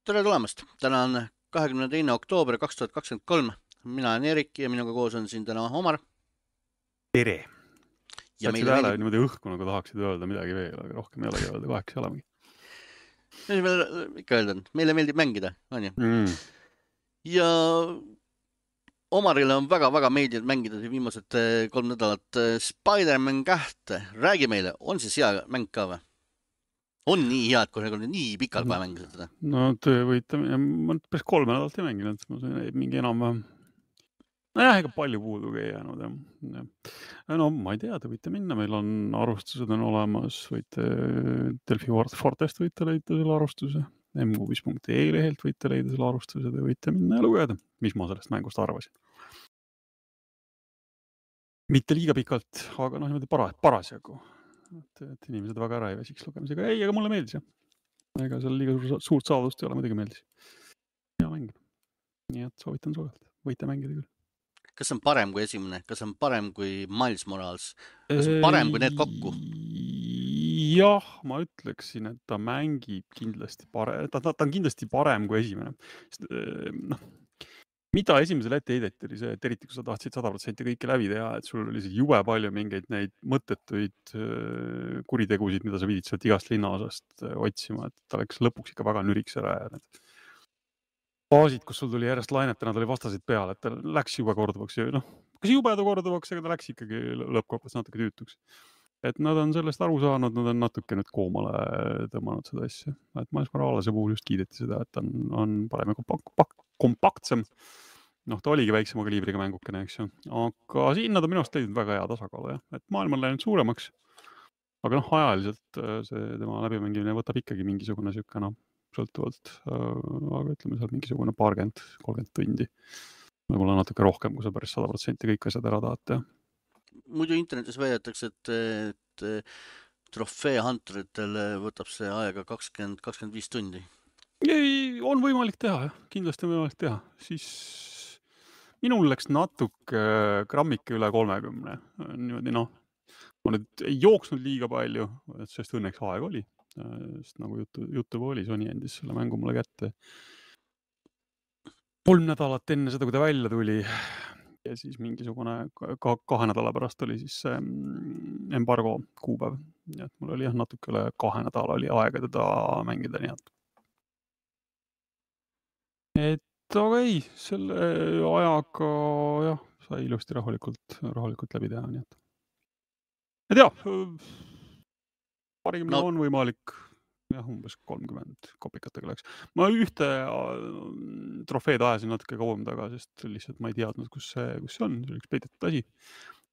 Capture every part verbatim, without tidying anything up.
Tere tulemast! Täna on kahekümne teine oktoober kaks tuhat kakskümmend kolm. Mina olen Erik ja minuga koos on siin täna Omar. Tere! Ja Jätsid meile hääle meeldib... niimoodi õhku, nagu tahaksid öelda midagi veel, aga rohkem ei olegi öelda, kaheks ei olemegi. Mis meil ikka öelda on? Meile meeldib mängida, on ju? Mm. Ja Omarile on väga-väga meeldinud mängida viimased kolm nädalat Spider-Man kahte. Räägi meile, on siis hea mäng ka või? On nii hea, et kui on nii pikalt vaja mängida seda? No te võite, ma päris kolme nädalat ei mänginud, ma sain mingi enam... No jah, ega palju puudugi ei jäänud. Ja. No ma ei tea, te võite minna, meil on arvustused on olemas, võite Delfi Fortest võite leida selle arvustuse, m kuus punkt e lehelt võite leida selle arvustuse, te võite minna ja lugeda, mis ma sellest mängust arvasin. Mitte liiga pikalt, aga noh, niimoodi para, parasjagu. Et, et inimesed väga ära ei väsiks lugemisega. Ei, aga mulle meeldis jah. Ega seal liiga suur, suurt saavust ei ole, muidugi meeldis. Hea mäng. Nii et soovitan soojalt. Võite mängida küll. Kas on parem kui esimene? Kas on parem kui Miles Morales? Kas on parem kui need kokku? Jah, ma ütleksin, et ta mängib kindlasti parem. Ta, ta, ta on kindlasti parem kui esimene. Noh, mida esimesel ette heideti oli see, et eriti kui sa tahtsid sada protsenti kõike läbi teha, et sul oli jube palju mingeid neid mõttetuid kuritegusid, mida sa pidid sealt igast linnaosast otsima, et ta läks lõpuks ikka väga nüriks ära ja need baasid, kus sul tuli järjest lainetena, ta oli vastasid peal, et ta läks jube korduvaks ja noh, kas jube ta korduvaks, aga ta läks ikkagi lõppkokkuvõttes natuke tüütuks. Et nad on sellest aru saanud, nad on natuke nüüd koomale tõmmanud seda asja. Et Miles Moralese puhul just kiideti seda, et on, on parem ja kompak, kompaktsem. Noh, ta oligi väiksema kaliibriga mängukene, eks ju. Aga siin nad on minu arust leidnud väga hea tasakaalu, jah. Et maailm on läinud suuremaks. Aga noh, ajaliselt see tema läbimängimine võtab ikkagi mingisugune siuke, noh, sõltuvalt, aga ütleme seal mingisugune paarkümmend, kolmkümmend tundi. Võib-olla natuke rohkem, kui sa päris sada protsenti kõik asjad ära tahad, jah. Muidu internetis väidetakse, et, et trofee hunteritel võtab see aega kakskümmend, kakskümmend viis tundi. Ei, on võimalik teha, jah. Kindlasti on võimalik teha. Siis minul läks natuke grammike üle kolmekümne. Niimoodi, noh, ma nüüd ei jooksnud liiga palju, sest õnneks aeg oli. Sest nagu jutu, jutu oli, Sony endis selle mängu mulle kätte. Kolm nädalat enne seda, kui ta välja tuli ja siis mingisugune ka, kahe nädala pärast oli siis see embargo kuupäev. Nii et mul oli jah natuke üle kahe nädala oli aega teda mängida, nii et. Et aga ei, selle ajaga jah, sai ilusti rahulikult, rahulikult läbi teha, nii et. Et jah, paarikümne no. On võimalik, jah, umbes kolmkümmend kopikatega läks. Ma ühte trofeed ajasin natuke kauem taga, sest lihtsalt ma ei teadnud, kus see, kus see on. See oli üks peidetud asi.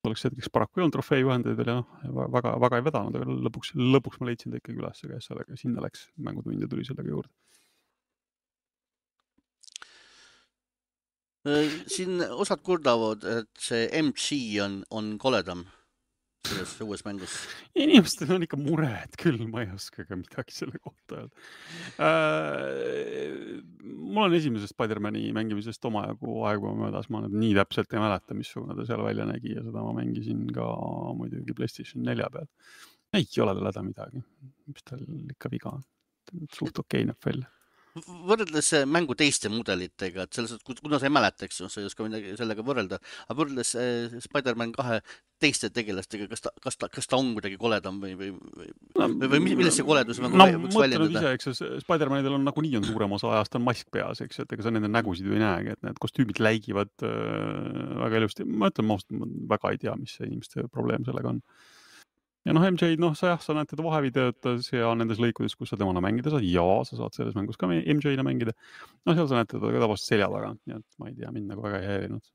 Oleks hetkeks paraku ei olnud trofee juhendeid veel ja noh, väga, väga ei vedanud, aga lõpuks, lõpuks ma leidsin ta ikkagi üles, aga sellega sinna läks mängutund ja tuli sellega juurde. Siin osad kurdavad, et see M G on, on koledam selles uues mängus. Inimestel on ikka mured küll, ma ei oska ka midagi selle kohta öelda. Äh, mul on esimesest Spider-Mani mängimisest omajagu aegu möödas, ma nüüd nii täpselt ei mäleta, missugune ta seal välja nägi ja seda ma mängisin ka muidugi PlayStation nelja peal. Ei ole tal häda midagi, mis tal ikka viga on. Suht okei näeb välja. Võrreldes mängu teiste mudelitega, et selles, kuna sa ei mäleta, eks ju, sa ei oska midagi sellega võrrelda, aga võrreldes Spider-Man kahe teiste tegelastega, kas ta, kas ta, kas ta on kuidagi koledam või, või, või, no, või milles see koledus nagu no, võiks väljendada? Ise, eks Spider-Manidel on nagu nii on suurem osa ajast on mask peas, eks, et ega sa nende nägusid ju ei näegi, et need kostüümid läigivad äh, väga ilusti. Ma ütlen, ma väga ei tea, mis see inimeste probleem sellega on. Ja noh, M J, noh, sa jah, sa näed teda vahevideotas ja nendes lõikudes, kus sa temana mängida saad, ja sa saad selles mängus ka M J-na mängida. No seal sa näed teda ka tavaliselt selja taga, nii et ma ei tea, mind nagu väga ei häirinud.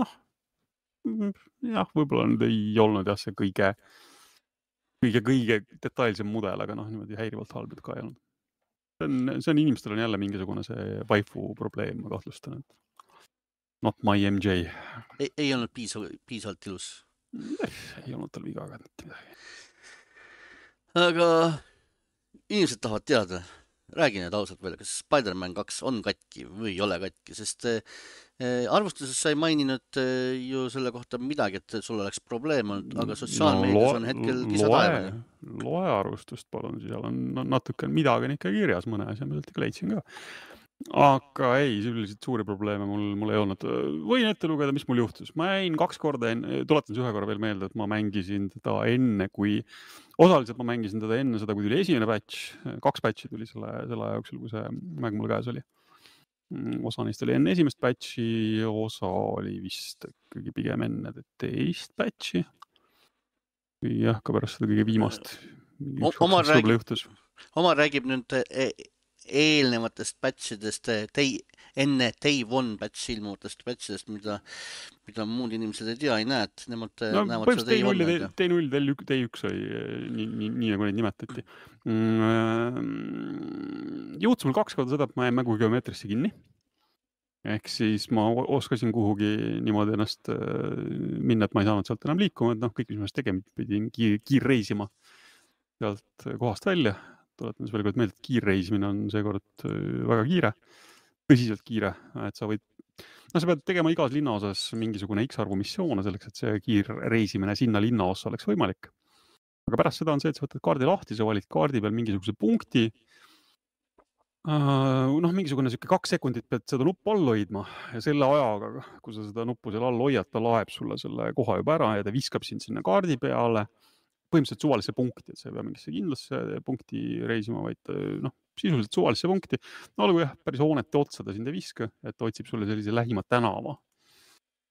Noh, jah, võib-olla nüüd ei olnud jah, see kõige, kõige, kõige detailsem mudel, aga noh, niimoodi häirivalt halbid ka ei olnud. See on, see on inimestel on jälle mingisugune see vaifu probleem, ma kahtlustan, et not my M J. Ei, ei olnud piisav, piisavalt ilus. Ei olnud tal viga aga mitte midagi. Aga inimesed tahavad teada, räägi nüüd ausalt välja, kas Spider-Man kaks on katki või ei ole katki, sest äh, arvustuses sa ei maininud äh, ju selle kohta midagi, et sul oleks probleem olnud, aga No sotsiaalmeedias loe, on hetkel kisa loe, taevani. loe arvustust palun, seal on no, natuke midagi on ikka kirjas, mõne asja ma sealt ikka leidsin ka. Aga ei, üldiselt suuri probleeme mul, mul ei olnud. Võin ette lugeda, mis mul juhtus. Ma jäin kaks korda, enne, tuletan ühe korra veel meelde, et ma mängisin teda enne, kui osaliselt ma mängisin teda enne seda, kui tuli esimene patch, kaks patchi tuli selle, selle aja jooksul, kui see mäng mul käes oli. Osa neist oli enne esimest patchi, osa oli vist kõige pigem enne teist patchi. Jah, ka pärast seda kõige viimast. Omar räägib, Omar räägib nüüd eelnevatest patchidest, tei, enne Day One patch ilmuvatest patchidest, mida, mida muud inimesed ei tea, ei näe, et nemad no, näevad seda Day One. Day null, Day üks oli nii, nii, nii nagu neid nimetati. Juhtus mul kaks korda seda, et ma jäin mängu geomeetrisse kinni. Ehk siis ma oskasin kuhugi niimoodi ennast minna, et ma ei saanud sealt enam liikuma, et noh, kõik, mis ma tegema pidin kiir, kiirreisima sealt kohast välja. Tuletan veel kord meelde, et kiirreisimine on seekord väga kiire, tõsiselt kiire, et sa võid, no sa pead tegema igas linnaosas mingisugune X arvu missioone selleks, et see kiirreisimine sinna linnaossa oleks võimalik. Aga pärast seda on see, et sa võtad kaardi lahti, sa valid kaardi peal mingisuguse punkti, noh, mingisugune siuke kaks sekundit pead seda nuppu all hoidma ja selle ajaga, kui sa seda nuppu seal all hoiad, ta laeb sulle selle koha juba ära ja ta viskab sind sinna kaardi peale, põhimõtteliselt suvalisse punkti, et sa ei pea mingisse kindlasse punkti reisima, vaid noh, sisuliselt suvalisse punkti. No olgu jah, päris hoonete otsa ta sind ei viska, et ta otsib sulle sellise lähima tänava.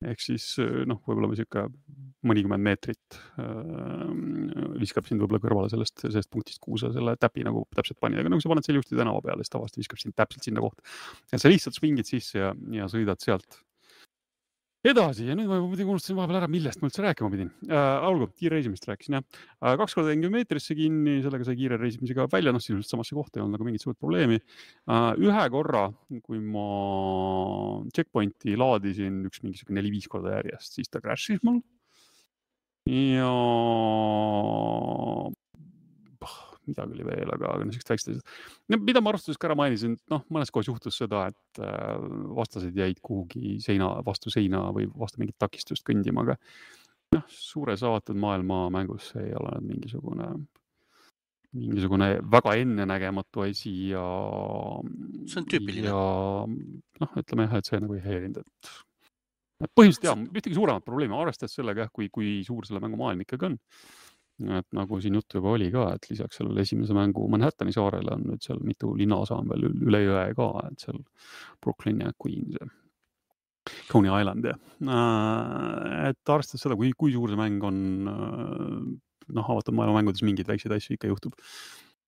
Ehk siis noh, võib-olla või siuke mõnikümmend meetrit äh, viskab sind võib-olla kõrvale sellest, sellest punktist, kuhu sa selle täpi nagu täpselt pani. Aga nagu sa paned selle juhti tänava peale, siis tavasti viskab sind täpselt sinna kohta. Et sa lihtsalt svingid sisse ja, ja sõidad sealt edasi ja nüüd ma muidugi unustasin vahepeal ära, millest ma üldse rääkima pidin. Äh, olgu, kiirreisimist rääkisin, jah. Äh, kaks korda jäin geomeetrisse kinni, sellega sai kiire reisimisega välja, noh, sisuliselt samasse kohta ei olnud nagu mingit suurt probleemi. Äh, ühe korra, kui ma checkpointi laadisin üks mingisugune neli-viis korda järjest, siis ta crashis mul. Ja midagi oli veel, aga, aga niisugust väikest asjad. Mida ma arvustuses ka ära mainisin, noh, mõnes kohas juhtus seda, et vastased jäid kuhugi seina, vastu seina või vastu mingit takistust kõndima, aga noh, suures avatud maailma mängus ei ole mingisugune, mingisugune väga ennenägematu asi ja see on tüüpiline. Ja noh, ütleme jah, et see nagu ei häirinud, et põhimõtteliselt jah, ühtegi suuremat probleemi arvestades sellega, kui, kui suur selle mängu maailm ikkagi on. Et nagu siin juttu juba oli ka, et lisaks sellele esimese mängu Manhattani saarele on nüüd seal mitu linnaosa on veel üle jõe ka, et seal Brooklyn ja Queens ja Coney Island ja et arvestades seda, kui, kui suur see mäng on, noh, avatud maailma mängudes mingeid väikseid asju ikka juhtub.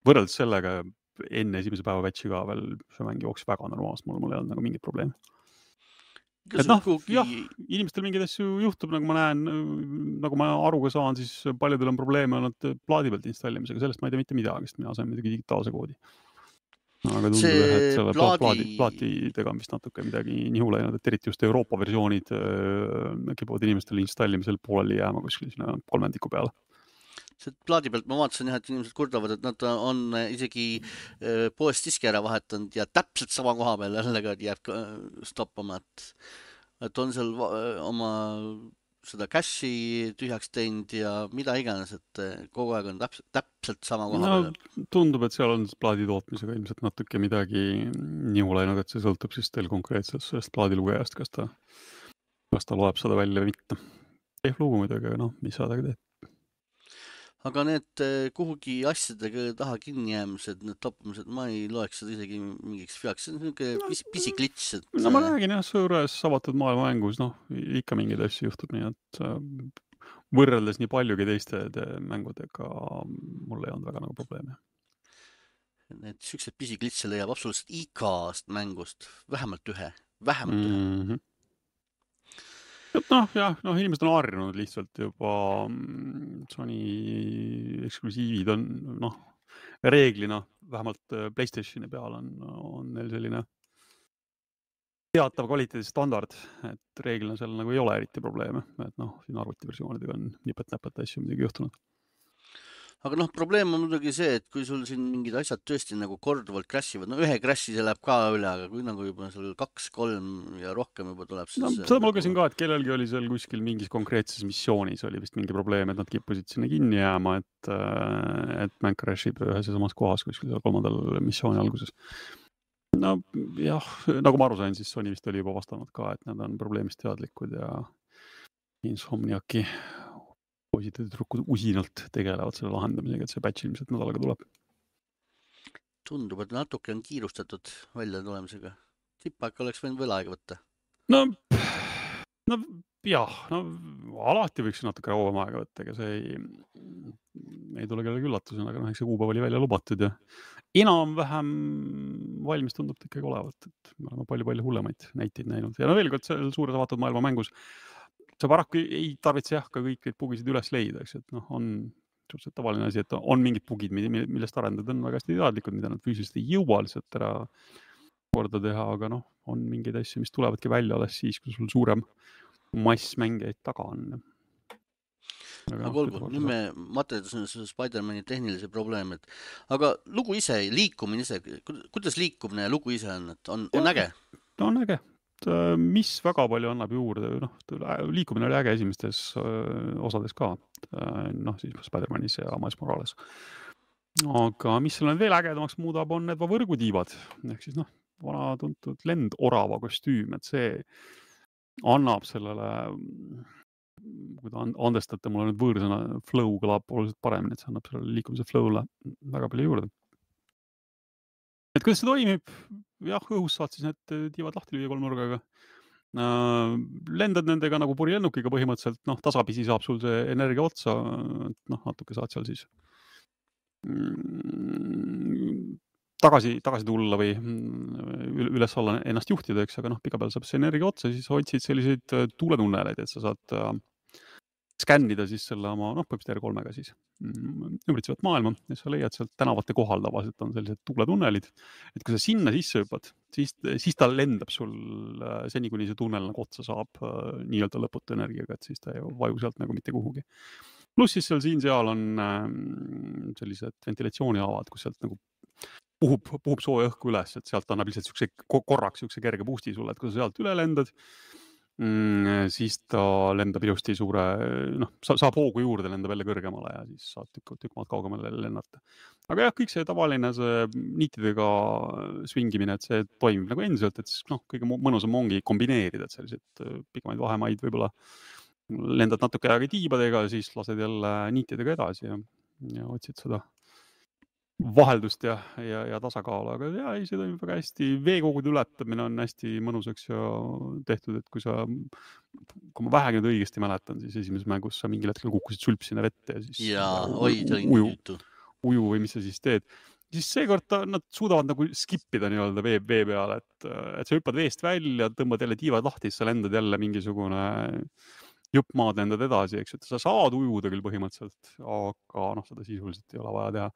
Võrreldes sellega enne esimese päeva patchi ka veel see mäng jooks väga normaalselt, mul, mul ei olnud nagu mingit probleemi. Et noh, jah, inimestel mingeid asju juhtub, nagu ma näen, nagu ma aruga saan, siis paljudel on probleeme olnud plaadi pealt installimisega, sellest ma ei tea mitte midagi, sest mina sain midagi digitaalse koodi. Aga tundub, see et selle plaadi... plaadi, plaatidega on vist natuke midagi nihu läinud, et eriti just Euroopa versioonid kipuvad inimestel installimisel pooleli jääma kuskil sinna kolmandiku peale. See plaadi pealt ma vaatasin jah, et inimesed kurdavad, et nad on isegi poest diski ära vahetanud ja täpselt sama koha peal jälle jääb stoppama, et, et on seal oma seda cache'i tühjaks teinud ja mida iganes, et kogu aeg on täpselt, täpselt sama koha no, peal. Tundub, et seal on plaadi tootmisega ilmselt natuke midagi nihu läinud, et see sõltub siis teil konkreetselt sellest plaadilugejast, kas ta, kas ta loeb seda välja või mitte. Ehk lugu muidugi, aga noh, mis sa tagi teed. Aga need kuhugi asjadega taha kinni jäämised, need toppamised, ma ei loeks seda isegi mingiks veaks. See on niisugune pis, pisiklits. Et... No ma räägin jah, suures avatud maailma mängus, noh, ikka mingeid asju juhtub, nii et võrreldes nii paljugi teiste mängudega mul ei olnud väga nagu probleeme. Need siuksed pisiklitse leiab absoluutselt igast mängust, vähemalt ühe, vähemalt ühe. Mm-hmm. Et noh, jah, noh, inimesed on harjunud lihtsalt juba Sony eksklusiivid on, noh, reeglina, vähemalt PlayStationi peal on, on neil selline teatav kvaliteedi standard, et reeglina seal nagu ei ole eriti probleeme, et noh, siin arvutiversioonidega on nipet-näpet asju midagi juhtunud. aga noh, probleem on muidugi see, et kui sul siin mingid asjad tõesti nagu korduvalt crashivad, no ühe crashi see läheb ka üle, aga kui nagu juba sul kaks, kolm ja rohkem juba tuleb, No siis seda ma nagu... lugesin ka, et kellelgi oli seal kuskil mingis konkreetses missioonis oli vist mingi probleem, et nad kippusid sinna kinni jääma, et, et mäng crashib ühes ja samas kohas kuskil seal kolmandal missiooni alguses. No jah, nagu ma aru sain, siis Sony vist oli juba vastanud ka, et nad on probleemist teadlikud ja Insomniaki poisid ja tüdrukud usinalt tegelevad selle lahendamisega, et see patch ilmselt nädalaga tuleb. Tundub, et natuke on kiirustatud välja tulemisega. Tippak oleks võinud veel aega võtta. No, no jah, no alati võiks natuke rauam aega võtta, ega see ei, ei tule kellegi üllatusena, aga noh, eks see kuupäev oli välja lubatud ja enam-vähem valmis tundub ta ikkagi olevat, et me oleme palju-palju hullemaid näiteid näinud. Ja no veel kord, seal suures avatud maailma mängus sa paraku ei tarvitse jah ka kõik neid bugisid üles leida, eks, et noh, on suhteliselt tavaline asi, et on mingid bugid, millest arendajad on väga hästi teadlikud, mida nad füüsiliselt ei jõua lihtsalt ära korda teha, aga noh, on mingeid asju, mis tulevadki välja alles siis, kui sul suurem mass mängijaid taga on. Aga, aga olgu, nüüd me materdasime selle Spider-Mani tehnilise probleemi, et aga lugu ise, liikumine ise, kuidas liikumine ja lugu ise on, et on, on äge? On äge. Mis väga palju annab juurde, noh, liikumine oli äge esimestes osades ka, noh, siis Spider-Manis ja Miles Morales. Aga mis selle veel ägedamaks muudab, on need võrgutiivad, ehk siis noh, vana tuntud lendorava kostüüm, et see annab sellele, kui ta andestate, mul on nüüd võõrsõna, flow kõlab oluliselt paremini, et see annab sellele liikumise flow'le väga palju juurde. Et kuidas see toimib? Jah, õhus saad siis need tiivad lahti lüüa kolmnurgaga. Lendad nendega nagu purilennukiga põhimõtteliselt, noh, tasapisi saab sul see energia otsa, noh, natuke saad seal siis tagasi, tagasi tulla või üles alla ennast juhtida, eks, aga noh, pika peal saab see energia otsa, siis otsid selliseid tuuletunneleid, et sa saad skännida siis selle oma, noh, põhimõtteliselt R kolmega siis ümbritsevat maailma ja sa leiad sealt tänavate kohal tavaliselt on sellised tuuletunnelid, et kui sa sinna sisse hüppad, siis, siis ta lendab sul seni, kuni see tunnel nagu otsa saab nii-öelda lõputu energiaga, et siis ta ei vaju sealt nagu mitte kuhugi. Pluss siis seal siin-seal on sellised ventilatsiooniavad, kus sealt nagu puhub, puhub sooja õhku üles, et sealt annab lihtsalt siukse, korraks siukse kerge boosti sulle, et kui sa sealt üle lendad, Mm, siis ta lendab ilusti suure, noh, saab hoogu juurde, lendab jälle kõrgemale ja siis saab tükk, tükk maad kaugemale lennata. Aga jah, kõik see tavaline see niitidega swingimine, et see toimib nagu endiselt, et siis noh, kõige mõnusam ongi kombineerida, et sellised pikemaid vahemaid võib-olla lendad natuke aega tiibadega ja siis lased jälle niitidega edasi ja, ja otsid seda vaheldust ja, ja, ja tasakaalu, aga ja, ei, see toimib väga hästi. Veekogude ületamine on hästi mõnusaks ja tehtud, et kui sa, kui ma vähegi nüüd õigesti mäletan, siis esimeses mängus sa mingil hetkel kukkusid sulpsina vette ja siis ja, oi, uju, uju või mis sa siis teed. Siis seekord ta, nad suudavad nagu skipida nii-öelda vee, vee peale, et, et sa hüppad veest välja, tõmbad jälle tiivad lahti, siis sa lendad jälle mingisugune jupp maad lendad edasi, eks, et sa saad ujuda küll põhimõtteliselt, aga noh, seda sisuliselt ei ole vaja teha.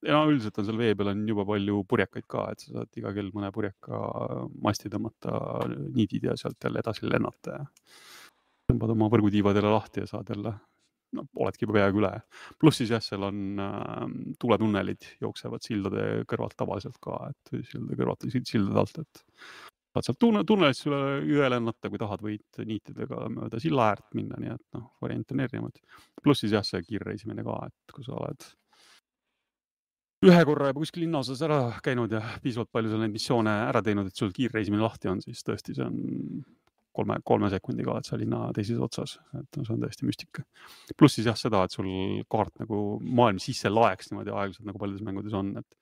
Ja üldiselt on seal vee peal on juba palju purjekaid ka, et sa saad iga kell mõne purjeka masti tõmmata niidid ja sealt jälle edasi lennata ja tõmbad oma võrgutiivad jälle lahti ja saad jälle, no oledki juba peaaegu üle. Pluss siis jah, seal on äh, tuletunnelid jooksevad sildade kõrvalt tavaliselt ka, et sildade kõrvalt sildade alt, et saad sealt tunnelist üle üle lennata, kui tahad, võid niitidega mööda silla äärt minna, nii et noh, variant on erinevad. Pluss siis jah, see kiirreisimine ka, et kui sa oled ühe korra juba kuskil linnaosas ära käinud ja piisavalt palju seal neid missioone ära teinud, et sul kiirreisimine lahti on, siis tõesti see on kolme, kolme sekundiga oled sa linna teises otsas, et see on tõesti müstika. Pluss siis jah seda, et sul kaart nagu maailm sisse laeks niimoodi aeglaselt, nagu paljudes mängudes on, et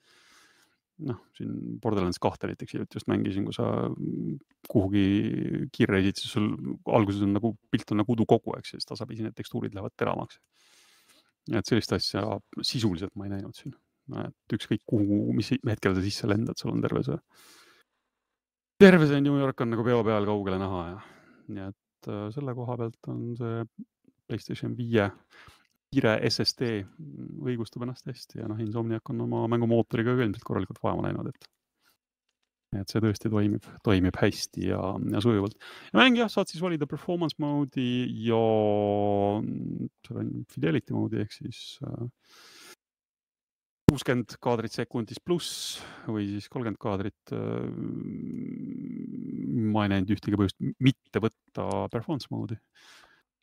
noh, siin Borderlands kahte näiteks just mängisin, kui sa kuhugi kiirreisid, siis sul alguses on nagu pilt on nagu udukogu, eks, siis tasapisi need tekstuurid lähevad teramaks. Et sellist asja sisuliselt ma ei näinud siin. Et ükskõik kuhu, mis hetkel sa sisse lendad, sul on terve see terve see New York on nagu peo peal kaugele näha ja nii et selle koha pealt on see PlayStation viie kiire S S D õigustab ennast hästi ja noh, Insomniac on oma mängumootoriga ka ilmselt korralikult vaeva näinud, et et see tõesti toimib, toimib hästi ja, ja sujuvalt. Ja mäng jah, saad siis valida performance mode'i ja Fidelity mode'i ehk siis kuuskümmend kaadrit sekundis pluss või siis kolmkümmend kaadrit. Ma ei näinud ühtegi põhjust mitte võtta performance mode'i.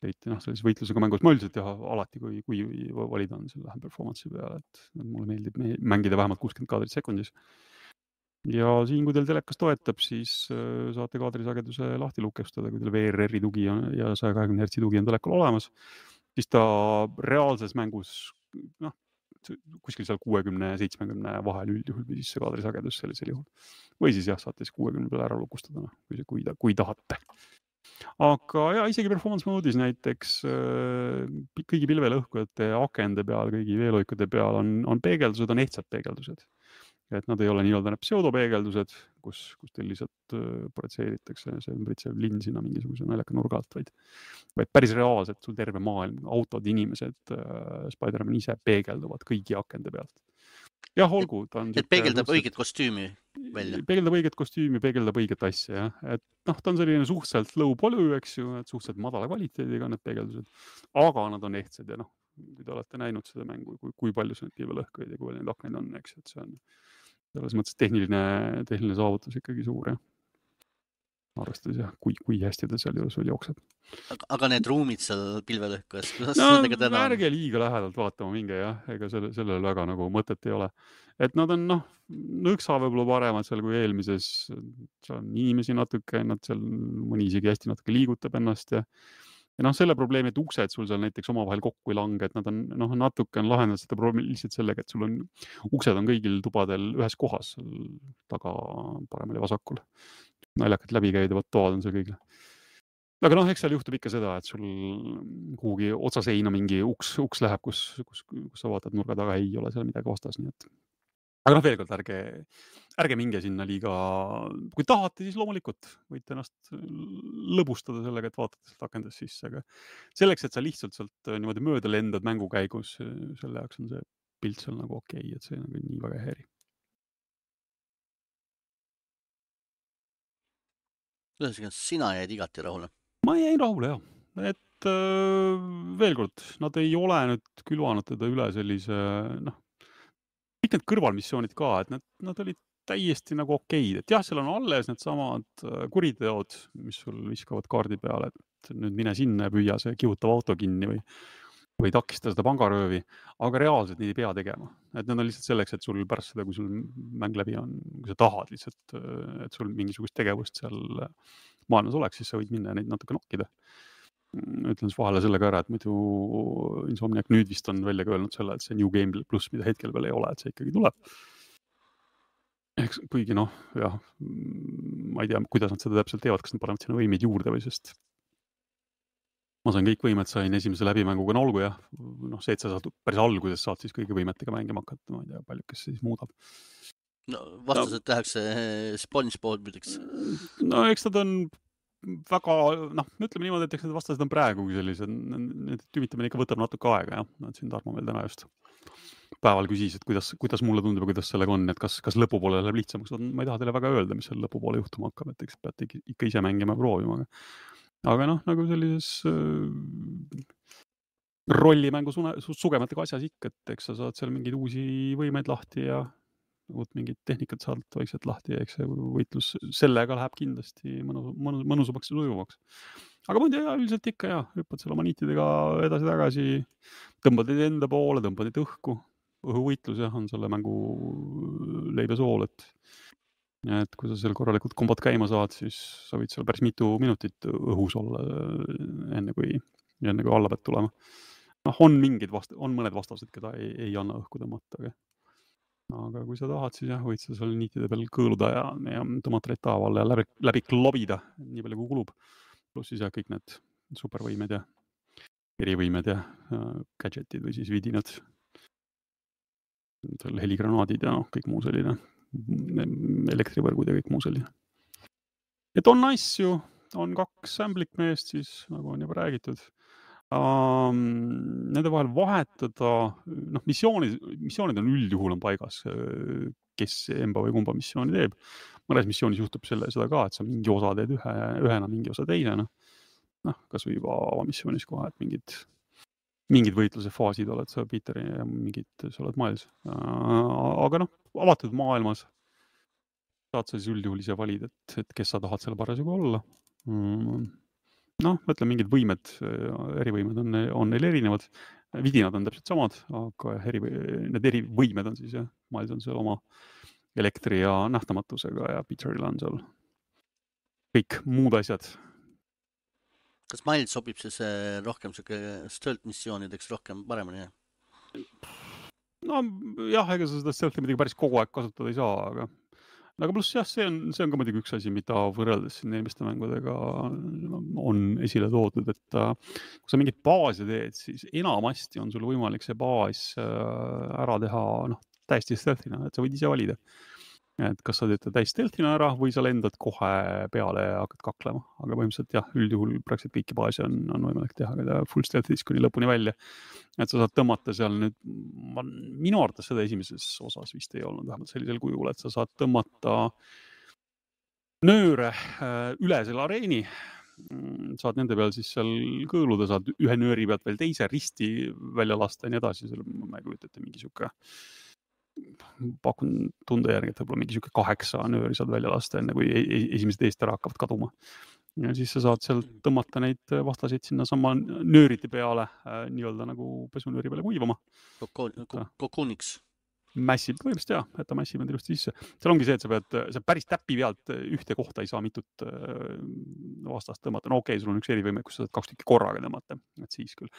Leiti, noh, sellise võitlusega mängus ma üldiselt jah, alati, kui, kui valida on selle performance'i peale, et mulle meeldib mängida vähemalt kuuskümmend kaadrit sekundis. Ja siin, kui teil telekas toetab, siis saate kaadrisageduse lahti lukestada, kui teil V R R-i tugi on ja saja kahekümne hertsi tugi on telekal olemas, siis ta reaalses mängus, noh, kuskil seal kuuekümne seitsmekümne vahel üldjuhul või siis see kaadrisagedus sellisel juhul. Või siis jah, saate siis kuuekümne peale ära lukustada, noh, kui, kui, kui tahate. Aga ja isegi performance mode'is näiteks kõigi pilvelõhkujate akende peal, kõigi veeloikude peal on, on peegeldused, on ehtsad peegeldused. Et nad ei ole nii-öelda need pseudopeegeldused, kus, kus teil lihtsalt projitseeritakse see ümbritsev linn sinna mingisuguse naljaka nurga alt, vaid, vaid päris reaalselt sul terve maailm, autod, inimesed, Spider-Man ise peegelduvad kõigi akende pealt. Jah, olgu, ta on et peegeldab suhtselt... õiget kostüümi välja. Peegeldab õiget kostüümi, peegeldab õiget asja, jah. Et noh, ta on selline suhteliselt low poly, eks ju, et suhteliselt madala kvaliteediga need peegeldused, aga nad on ehtsad ja noh, kui te olete näinud seda mängu, kui, kui palju see pilvelõhkuid ja kui palju neid akneid on, eks, et see on selles mõttes tehniline, tehniline saavutus ikkagi suur, jah. Arvestades jah, kui, kui hästi ta seal juures veel jookseb. Aga, aga need ruumid seal pilvelõhkujas, kuidas no, sellega täna on? Ärge liiga lähedalt vaatama minge, jah, ega selle, sellel väga nagu mõtet ei ole. Et nad on, noh, nõksa võib-olla paremad seal kui eelmises, seal on inimesi natuke, nad seal mõni isegi hästi natuke liigutab ennast ja Ja noh, selle probleemi, et uksed sul seal näiteks omavahel kokku ei lange, et nad on, noh, natuke on lahendanud seda probleemi lihtsalt sellega, et sul on, uksed on kõigil tubadel ühes kohas, taga paremal ja vasakul. Naljakad läbikäidavad toad on seal kõigil. Aga noh, eks seal juhtub ikka seda, et sul kuhugi otsaseina mingi uks, uks läheb, kus, kus, kus sa vaatad nurga taga, ei ole seal midagi vastas, nii et aga noh, veel kord, ärge, ärge minge sinna liiga, kui tahate, siis loomulikult võite ennast lõbustada sellega, et vaatate sealt akendest sisse, aga selleks, et sa lihtsalt sealt niimoodi mööda lendad mängu käigus, selle jaoks on see pilt seal nagu okei, okay, et see nagu nii väga häiri. Kuidas sina jäid igati rahule? Ma jäin rahule, jah. Et äh, veel kord, nad ei ole nüüd külvanud teda üle sellise, noh, kõik need kõrvalmissioonid ka, et nad, nad olid täiesti nagu okeid, et jah, seal on alles need samad kuriteod, mis sul viskavad kaardi peale, et nüüd mine sinna ja püüa see kihutav auto kinni või, või takista seda pangaröövi, aga reaalselt neid ei pea tegema. Et need on lihtsalt selleks, et sul pärast seda, kui sul mäng läbi on, kui sa tahad lihtsalt, et sul mingisugust tegevust seal maailmas oleks, siis sa võid minna ja neid natuke nokkida. Ütlen siis vahele sellega ära, et muidu Insomniac nüüd vist on välja öelnud selle, et see New Game Plus, mida hetkel veel ei ole, et see ikkagi tuleb. Eks kuigi noh, jah, ma ei tea, kuidas nad seda täpselt teevad, kas nad panevad sinna võimeid juurde või sest ma sain kõik võimed, sain esimese läbimänguga nolgu, jah. Noh, see, et sa saad päris alguses saad siis kõigi võimetega mängima hakata, ma ei tea, palju kes siis muudab. No vastased no. Tehakse SpongeBob midaks. No eks nad on väga, noh, ütleme niimoodi, et eks need vastased on praegu sellised, need tümitamine ikka võtab natuke aega, jah. Nad siin Tarmo veel täna just päeval küsis, et kuidas, kuidas mulle tundub ja kuidas sellega on, et kas, kas lõpupoole läheb lihtsamaks. Ma ei taha teile väga öelda, mis seal lõpupoole juhtuma hakkab, et eks peate ikka ise mängima ja proovima. Aga noh, nagu sellises äh, rollimängu sugematega asjas ikka, et eks sa saad seal mingeid uusi võimeid lahti ja uut mingit tehnikat saad vaikselt lahti ja eks see võitlus sellega läheb kindlasti mõnus, mõnus, mõnusamaks ja sujuvaks. Aga muidu jah, üldiselt ikka jah, hüppad seal oma niitidega edasi-tagasi, tõmbad neid enda poole, tõmbad neid õhku. Õhuvõitlus jah, on selle mängu leibesool, et, et kui sa seal korralikult kombot käima saad, siis sa võid seal päris mitu minutit õhus olla enne kui, enne kui alla pead tulema. Noh, on mingid vast-, on mõned vastased, keda ei, ei anna õhku tõmmata, aga aga kui sa tahad, siis jah, võid sa seal niitide peal kõõluda ja, ja tomatreid taaval ja läbi, läbi klobida, nii palju kui kulub. Pluss siis jah, kõik need supervõimed ja erivõimed ja äh, gadgetid või siis vidinad, heligranaadid ja noh, kõik muu selline, elektrivõrgud ja kõik muu selline. Et on asju, on kaks samplikmeest siis, nagu on juba räägitud. Um, nende vahel vahetada, noh, missioonid, missioonid on üldjuhul on paigas, kes emba või kumba missiooni teeb. Mõnes missioonis juhtub selle, seda ka, et sa mingi osa teed ühe, ühena, mingi osa teisena. Noh, kas või juba avamissioonis kohe, et mingid, mingid võitluse faasid oled sa Peeteri ja mingid, sa oled Miles. Aga noh, avatud maailmas saad sa siis üldjuhul ise valida, et, et kes sa tahad selle parasjagu olla. Noh, mõtle, mingid võimed, erivõimed on, on neil erinevad. Vidinad on täpselt samad, aga eri, need erivõimed on siis, jah, Miles on seal oma elektri ja nähtamatusega ja Peteril on seal kõik muud asjad. Kas Miles sobib siis rohkem stealth missioonideks rohkem paremini? No jah, ega sa seda stealthi midagi päris kogu aeg kasutada ei saa, aga aga pluss jah, see on, see on ka muidugi üks asi, mida võrreldes siin eelmiste mängudega on esile toodud, et kui sa mingit baasi teed, siis enamasti on sul võimalik see baas ära teha noh, täiesti stealthina, et sa võid ise valida. Et kas sa teed täis stealthina ära või sa lendad kohe peale ja hakkad kaklema. Aga põhimõtteliselt jah, üldjuhul praktiliselt kõiki baasi on, on võimalik teha ka full stealth'is kuni lõpuni välja. Et sa saad tõmmata seal nüüd, ma, minu arvates seda esimeses osas vist ei olnud vähemalt sellisel kujul, et sa saad tõmmata nööre üle selle areeni, saad nende peal siis seal kõõluda, saad ühe nööri pealt veel teise risti välja lasta ja nii edasi, selle ma ei kujuta ette mingi siuke pakun tunde järgi, et võib-olla mingi siuke kaheksa nööri saad välja lasta, enne kui esimesed eest ära hakkavad kaduma. Ja siis sa saad sealt tõmmata neid vastaseid sinna sama nööriti peale, nii-öelda nagu pesunööri peale kuivama. Kokooniks. Massib, põhimõtteliselt jah, et ta massib on ilusti sisse. Seal ongi see, et sa pead, sa päris täppi pealt ühte kohta ei saa mitut vastast tõmmata. No okei, sul on üks erivõime, kus sa saad kaks tükki korraga tõmmata, et siis küll.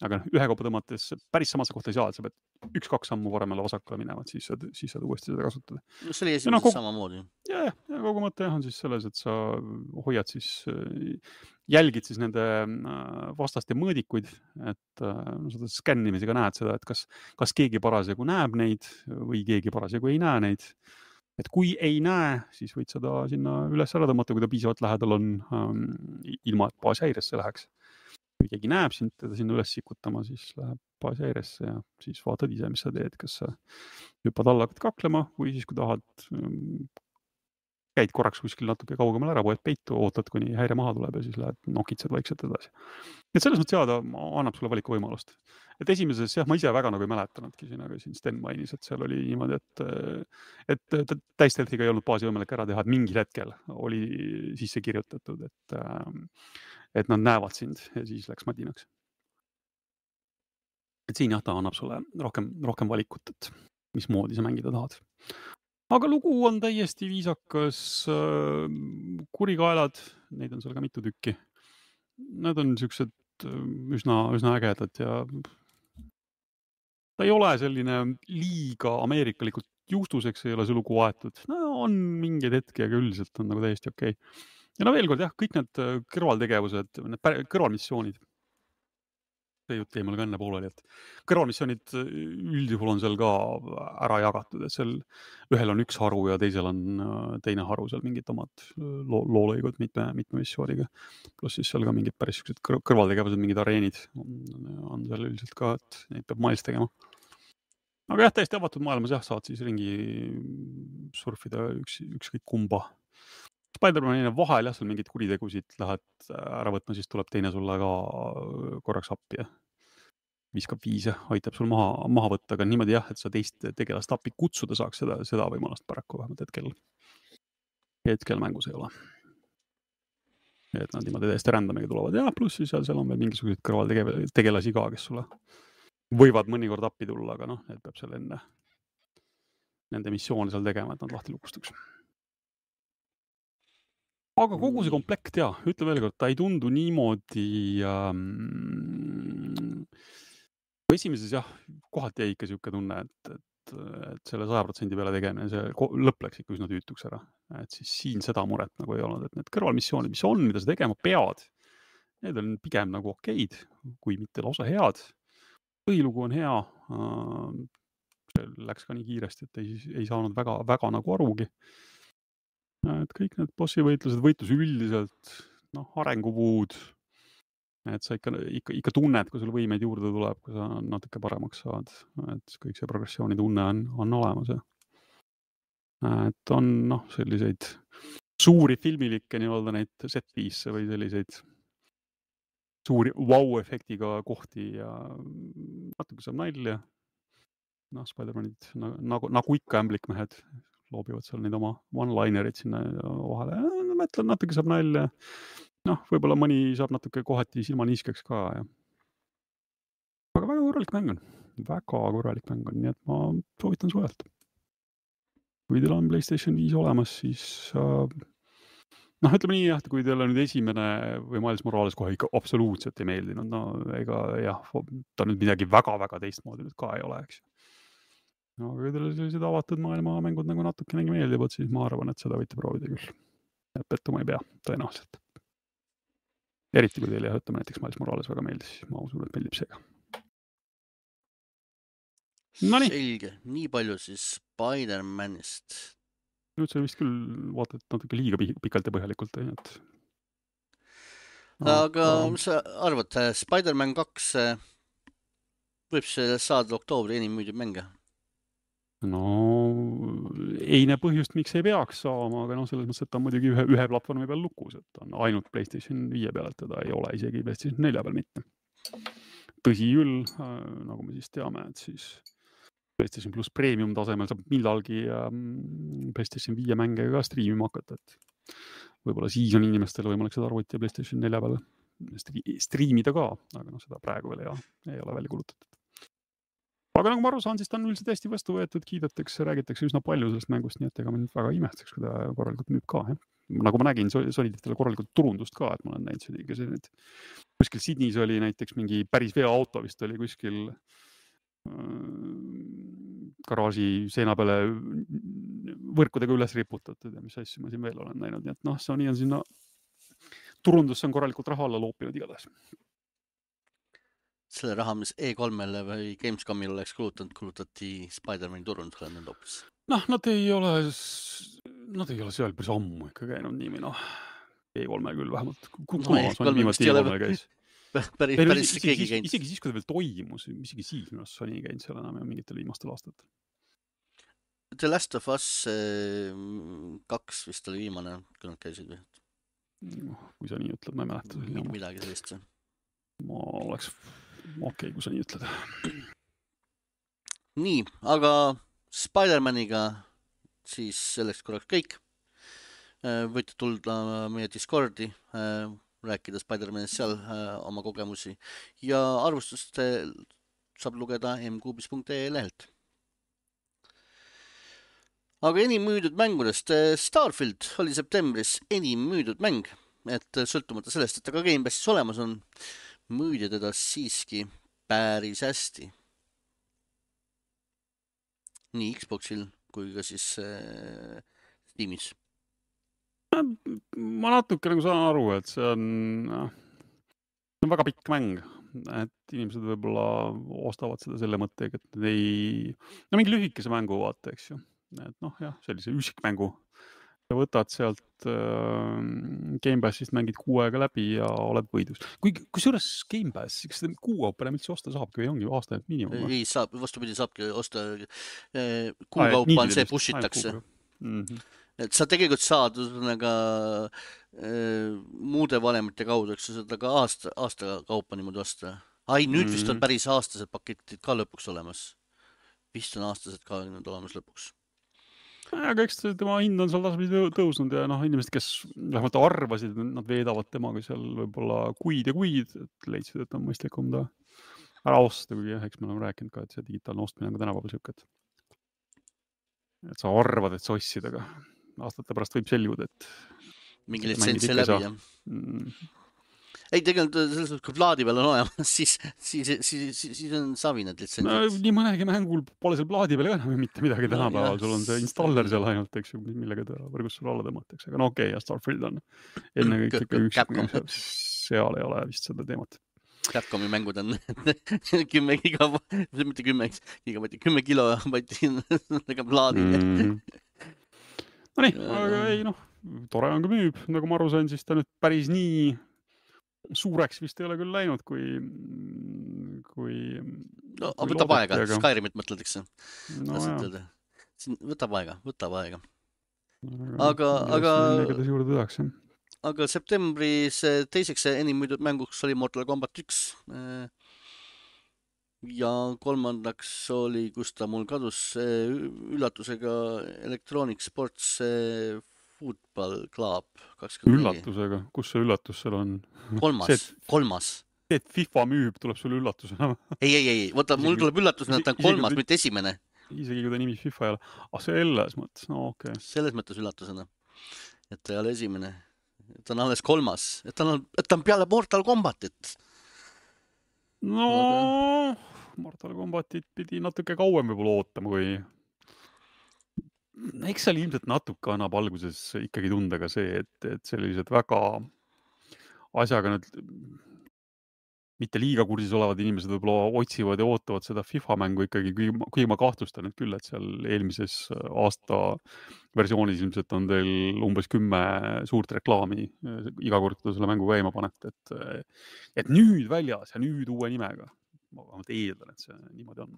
Aga ühe kaupa tõmmates päris samasse kohta ei saa, et sa pead üks-kaks sammu varemale vasakule minema, et siis saad, siis saad uuesti seda kasutada. No see oli esimeses no, kogu... samamoodi. Ja, ja kogu mõte on siis selles, et sa hoiad siis, jälgid siis nende vastaste mõõdikuid, et no, seda skännimisega näed seda, et kas, kas keegi parasjagu näeb neid või keegi parasjagu ei näe neid. Et kui ei näe, siis võid seda sinna üles ära tõmmata, kui ta piisavalt lähedal on, um, ilma et baas häiresse läheks. Kui keegi näeb sind, teda sinna üles sikutama, siis läheb baas häiresse ja siis vaatad ise, mis sa teed, kas sa hüppad alla, hakkad kaklema või siis, kui tahad, käid korraks kuskil natuke kaugemal ära, poed peitu, ootad, kuni häire maha tuleb ja siis lähed nokitsed vaikselt edasi. Et selles mõttes jääda annab sulle valiku võimalust. Et esimeses, jah, ma ise väga nagu ei mäletanudki siin, aga siin Sten mainis, et seal oli niimoodi, et, et täisteltiga ei olnud baasi võimalik ära teha, et mingil hetkel oli sisse kirjutatud, et, et nad näevad sind ja siis läks madinaks. Et siin jah, ta annab sulle rohkem, rohkem valikut, et mismoodi sa mängida tahad. Aga lugu on täiesti viisakas, kurikaelad, neid on seal ka mitu tükki. Need on siuksed üsna, üsna ägedad ja ta ei ole selline liiga ameerikalikult juustuseks, ei ole see lugu aetud. No on mingeid hetki, aga üldiselt on nagu täiesti okei. Ja no veel kord jah, kõik need kõrvaltegevused, need kõrvalmissioonid, see jutt jäi mul ka enne pooleli, et kõrvalmissioonid üldjuhul on seal ka ära jagatud, et seal ühel on üks haru ja teisel on teine haru seal mingid omad loolõigud mitme, mitme missiooniga. Plus siis seal ka mingid päris kõrvaltegevused, mingid areenid on, on seal üldiselt ka, et neid peab Miles tegema. Aga jah, täiesti avatud maailmas jah, saad siis ringi surfida üks, ükskõik kumba. Spider-Manina vahel jah, seal mingid kuritegusid lähed ära võtma, siis tuleb teine sulle ka korraks appi ja viskab viise, aitab sul maha, maha võtta, aga niimoodi jah, et sa teist tegelast appi kutsuda saaks seda, seda võimalust paraku vähemalt hetkel, hetkel mängus ei ole. Et nad niimoodi täiesti rändamiga tulevad ja pluss siis seal, seal on veel mingisugused kõrvaltegelasi ka, kes sulle võivad mõnikord appi tulla, aga noh, need peab seal enne nende missioone seal tegema, et nad lahti lukustaks. Aga kogu see komplekt, jah, ütle veel kord, ta ei tundu niimoodi ähm, esimeses jah, kohati jäi ikka siuke tunne, et, et, et selle saja protsendi peale tegemine, see lõpp läks ikka üsna tüütuks ära. Et siis siin seda muret nagu ei olnud, et need kõrvalmissioonid, mis on, mida sa tegema pead, need on pigem nagu okeid, kui mitte lausa head. Põhilugu on hea, see läks ka nii kiiresti, et ei, ei saanud väga, väga nagu arugi. Et kõik need bossi võitlused, võitlus üldiselt, noh, arengupuud, et sa ikka, ikka, ikka tunned, kui sul võimeid juurde tuleb, kui sa natuke paremaks saad, et kõik see progressiooni tunne on, on olemas. Ja. Et on noh, selliseid suuri filmilikke nii-öelda neid set-piece või selliseid suuri vau-efektiga kohti ja natuke saab nalja. Noh, Spider-Manid nagu, nagu ikka ämblikmehed loobivad seal neid oma one-linerid sinna vahele. Ja, mõtlen, natuke saab nalja. Noh, võib-olla mõni saab natuke kohati silmaniiskeks ka. Ja. Aga väga korralik mäng on. Väga korralik mäng on, nii et ma soovitan sujalt. Kui teil on PlayStation viis olemas, siis äh, noh, ütleme nii, jah, kui teil on nüüd esimene või Miles Morales kohe ikka absoluutselt ei meeldinud, no ega jah, ta nüüd midagi väga-väga teistmoodi nüüd ka ei ole, eks. No, aga kui teil sellised avatud maailma mängud nagu natukenegi meeldivad, siis ma arvan, et seda võite proovida küll. Et pettuma ei pea, tõenäoliselt. Eriti kui teil jah, ütleme näiteks Miles Morales väga meeldis, siis ma usun, et meeldib seega. Noniii. Selge, nii palju siis Spider-Manist. Nüüd see vist küll vaatad natuke liiga pikalt ja põhjalikult. Et... aga mis sa arvad, Spider-Man kaks võib see saada oktoobri enim müüdib mänge? No ei näe põhjust, miks ei peaks saama, aga no selles mõttes, et ta on muidugi ühe, ühe platvormi peal lukus, et on ainult PlayStation viie peal, et teda ei ole isegi PlayStation nelja peal mitte. Tõsi küll, nagu me siis teame, et siis PlayStation Plus Premium tasemel saab millalgi PlayStation viie mänge ka striimima hakata, et võib-olla siis on inimestel võimalik seda arvuti ja PlayStation nelja peal striimida ka, aga no seda praegu veel ei, ei ole välja kulutatud. Aga nagu ma aru saan, siis ta on üldiselt hästi vastu võetud, kiidetakse, räägitakse üsna palju sellest mängust, nii et ega ma nüüd väga imestaks, kui ta korralikult müüb ka. Jah. Nagu ma nägin, soliditele korralikult turundust ka, et ma olen näinud see, see nüüd. Kuskil Sydneys oli näiteks mingi päris veoauto vist oli kuskil garaaži seina peale võrkudega üles riputatud ja mis asju ma siin veel olen näinud. Nii et noh, Sony on sinna turundus on korralikult raha alla loopinud igatahes. Selle raha, mis E kolmele või Gamescomil oleks kulutanud, kulutati Spider-Mani turundusele nüüd hoopis. Noh, nad ei ole, nad ei ole seal päris ammu ikka käinud niimi, noh. E kolme küll vähemalt. No, E kolme vist ei ole päris, päris isegi, keegi isegi, käinud. isegi siis, kui ta veel toimus, isegi siis minu arust Sony käinud seal enam ja mingitel viimastel aastatel. The Last of Us kaks vist oli viimane, kui nad käisid või? No, kui sa nii ütled, ma ei mäleta. Midagi sellist. Ma oleks okei, okay, kui sa nii ütled. Nii, aga Spider-Maniga siis selleks korraks kõik. Võite tulda meie Discordi, rääkida Spider-Manist seal oma kogemusi ja arvustust saab lugeda m kuubis punkt e lehelt. Aga enim müüdud mängudest Starfield oli septembris enim müüdud mäng, et sõltumata sellest, et ta ka Game Passis olemas on, müüdi teda siiski päris hästi. Nii Xboxil kui ka siis äh, Steamis. Ma natuke nagu saan aru, et see on, see on väga pikk mäng, et inimesed võib-olla ostavad seda selle mõttega, et ei, no mingi lühikese mängu vaata, eks ju. Et noh, jah, sellise üsikmängu. Ja võtad sealt äh, Game Passist mängid kuu aega läbi ja oled võidus. Kui, kui suures Game Pass, kas seda kuu kaupa enam üldse osta saabki või ongi aasta miinimum? Ei saab, vastupidi saabki osta eh, kuu kaupa on see pushitakse. Mm-hmm. Et sa tegelikult saad nagu, eh, muude valemite kaudu, eks seda ka aasta, aasta kaupa niimoodi osta. Ai, nüüd mm-hmm. vist on päris aastased paketid ka lõpuks olemas. Vist on aastased ka nüüd olemas lõpuks. Aga eks tema hind on seal tasapidi tõusnud ja noh, inimesed, kes vähemalt arvasid, nad veedavad temaga seal võib-olla kuid ja kuid, et leidsid, et on mõistlikum ta ära osta, kui jah, eks me oleme rääkinud ka, et see digitaalne ostmine on ka tänapäeval siuket. Et sa arvad, et sa ossid, aga aastate pärast võib selguda, et mingi litsentsi läbi, jah. Mm. Ei, tegelikult selles kui plaadi peal on olemas, siis, siis, siis, siis, siis on savi need litsentsid. No, nii mõnegi mängul pole seal plaadi peal ka enam mitte midagi tänapäeval. No, sul on see installer seal ainult, eks ju, millega ta võrgus sul alla tõmmatakse. Aga no okei, okay, ja Starfield on enne kõik ikka üks, seal ei ole vist seda teemat. Capcomi mängud on kümme giga, mitte kümme gigabaitti, kümme kilobaitti plaadi. Mm. No nii, aga ei noh, tore on ka müüb, nagu ma aru sain, siis ta nüüd päris nii suureks vist ei ole küll läinud, kui... kui no, kui võtab aega, aga... Skyrimit mõtledeks. No, võtab aega, võtab aega. Aga, aga... juurde tõdaks, aga septembris teiseks enim müüdud mänguks oli Mortal Combat üks. Ja kolmandaks oli, kus ta mul kadus, üllatusega Electronic Sports Football Club kakskümmend neli. Üllatusega? Kus see üllatus seal on? Kolmas, kolmas. See, et FIFA müüb, tuleb sulle üllatusena. Ei, ei, ei, võta, mul tuleb üllatusena, et ta on kolmas, mitte esimene. Isegi kui ta nimi FIFA ei ole. Ah, selles mõttes, no okei. Okay. Selles mõttes üllatusena, et ta ei ole esimene. Ta on alles kolmas. Et ta on, et ta on peale Mortal Combatit. No, aga... Mortal Combatit pidi natuke kauem võib-olla ootama, kui... Eks seal ilmselt natuke annab alguses ikkagi tunda ka see, et, et sellised väga asjaga nüüd mitte liiga kursis olevad inimesed võib-olla otsivad ja ootavad seda FIFA mängu ikkagi, kui, kui ma kahtlustan, et küll, et seal eelmises aasta versioonis ilmselt on teil umbes kümme suurt reklaami iga kord, kui selle mängu käima panete, et, et nüüd väljas ja nüüd uue nimega. Ma vähemalt eeldan, et see niimoodi on.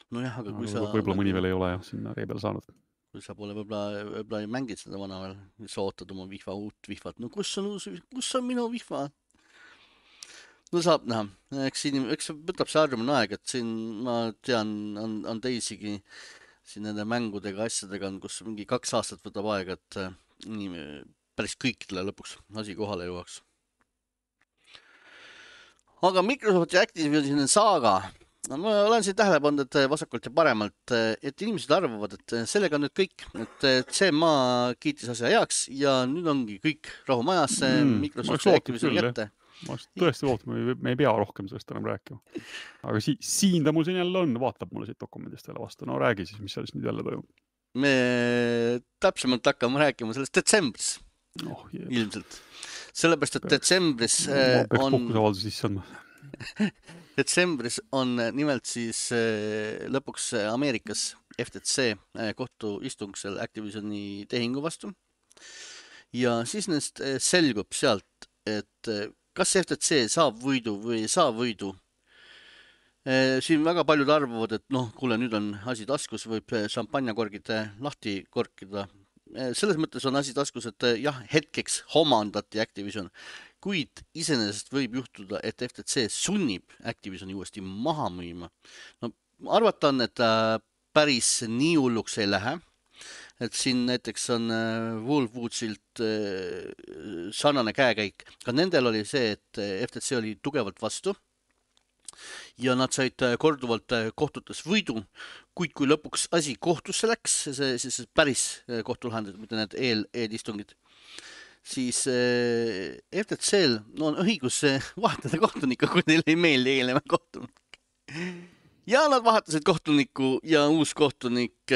No jah, aga kui aga sa... Võib-olla mõni veel ei ole jah, sinna ree peale saanud. Kui sa pole võib-olla, võib-olla ei mängid seda vana veel, sa ootad oma vihva uut vihvat. No kus on, kus on minu vihva? No saab näha, eks siin, eks võtab see harjumine aeg, et siin ma tean, on, on teisigi siin nende mängudega, asjadega, kus mingi kaks aastat võtab aeg, et nii, päris kõikidele lõpuks asi kohale jõuaks. Aga Microsoft ja Activision saaga, ma olen siin tähele pannud, et vasakult ja paremalt, et inimesed arvavad, et sellega on nüüd kõik, et see maa kiitis asja heaks ja nüüd ongi kõik rahu majasse, mm, Microsoft ja Activision kätte. Ma tõesti ootama, me ei pea rohkem sellest enam rääkima. Aga si siin ta mul siin jälle on, vaatab mulle siit dokumendist jälle vastu. No räägi siis, mis seal nüüd jälle toimub. Me täpsemalt hakkame rääkima sellest detsembris. Oh, ilmselt. Sellepärast, et detsembris peaks on... Pohkusavaldus sisse andma. Detsembris on nimelt siis lõpuks Ameerikas F T C kohtuistung seal Activisioni tehingu vastu. Ja siis neist selgub sealt, et kas F T C saab võidu või ei saa võidu. Siin väga paljud arvavad, et noh, kuule, nüüd on asi taskus, võib šampanjakorgid lahti korkida. Selles mõttes on asi taskus, et jah, hetkeks homandati Activision, kuid iseenesest võib juhtuda, et F T C sunnib Activisioni uuesti maha müüma. No, arvata on, et päris nii hulluks ei lähe. Et siin näiteks on Wolfwoodsilt sarnane käekäik. Ka nendel oli see, et F T C oli tugevalt vastu ja nad said korduvalt kohtutes võidu, kuid kui lõpuks asi kohtusse läks, see, siis päris kohtulahendid, mitte need eel, eelistungid, siis F T C-l no, on õigus vahetada kohtunikku, kui neil ei meeldi eelneva kohtunik. Ja nad vahetasid kohtunikku ja uus kohtunik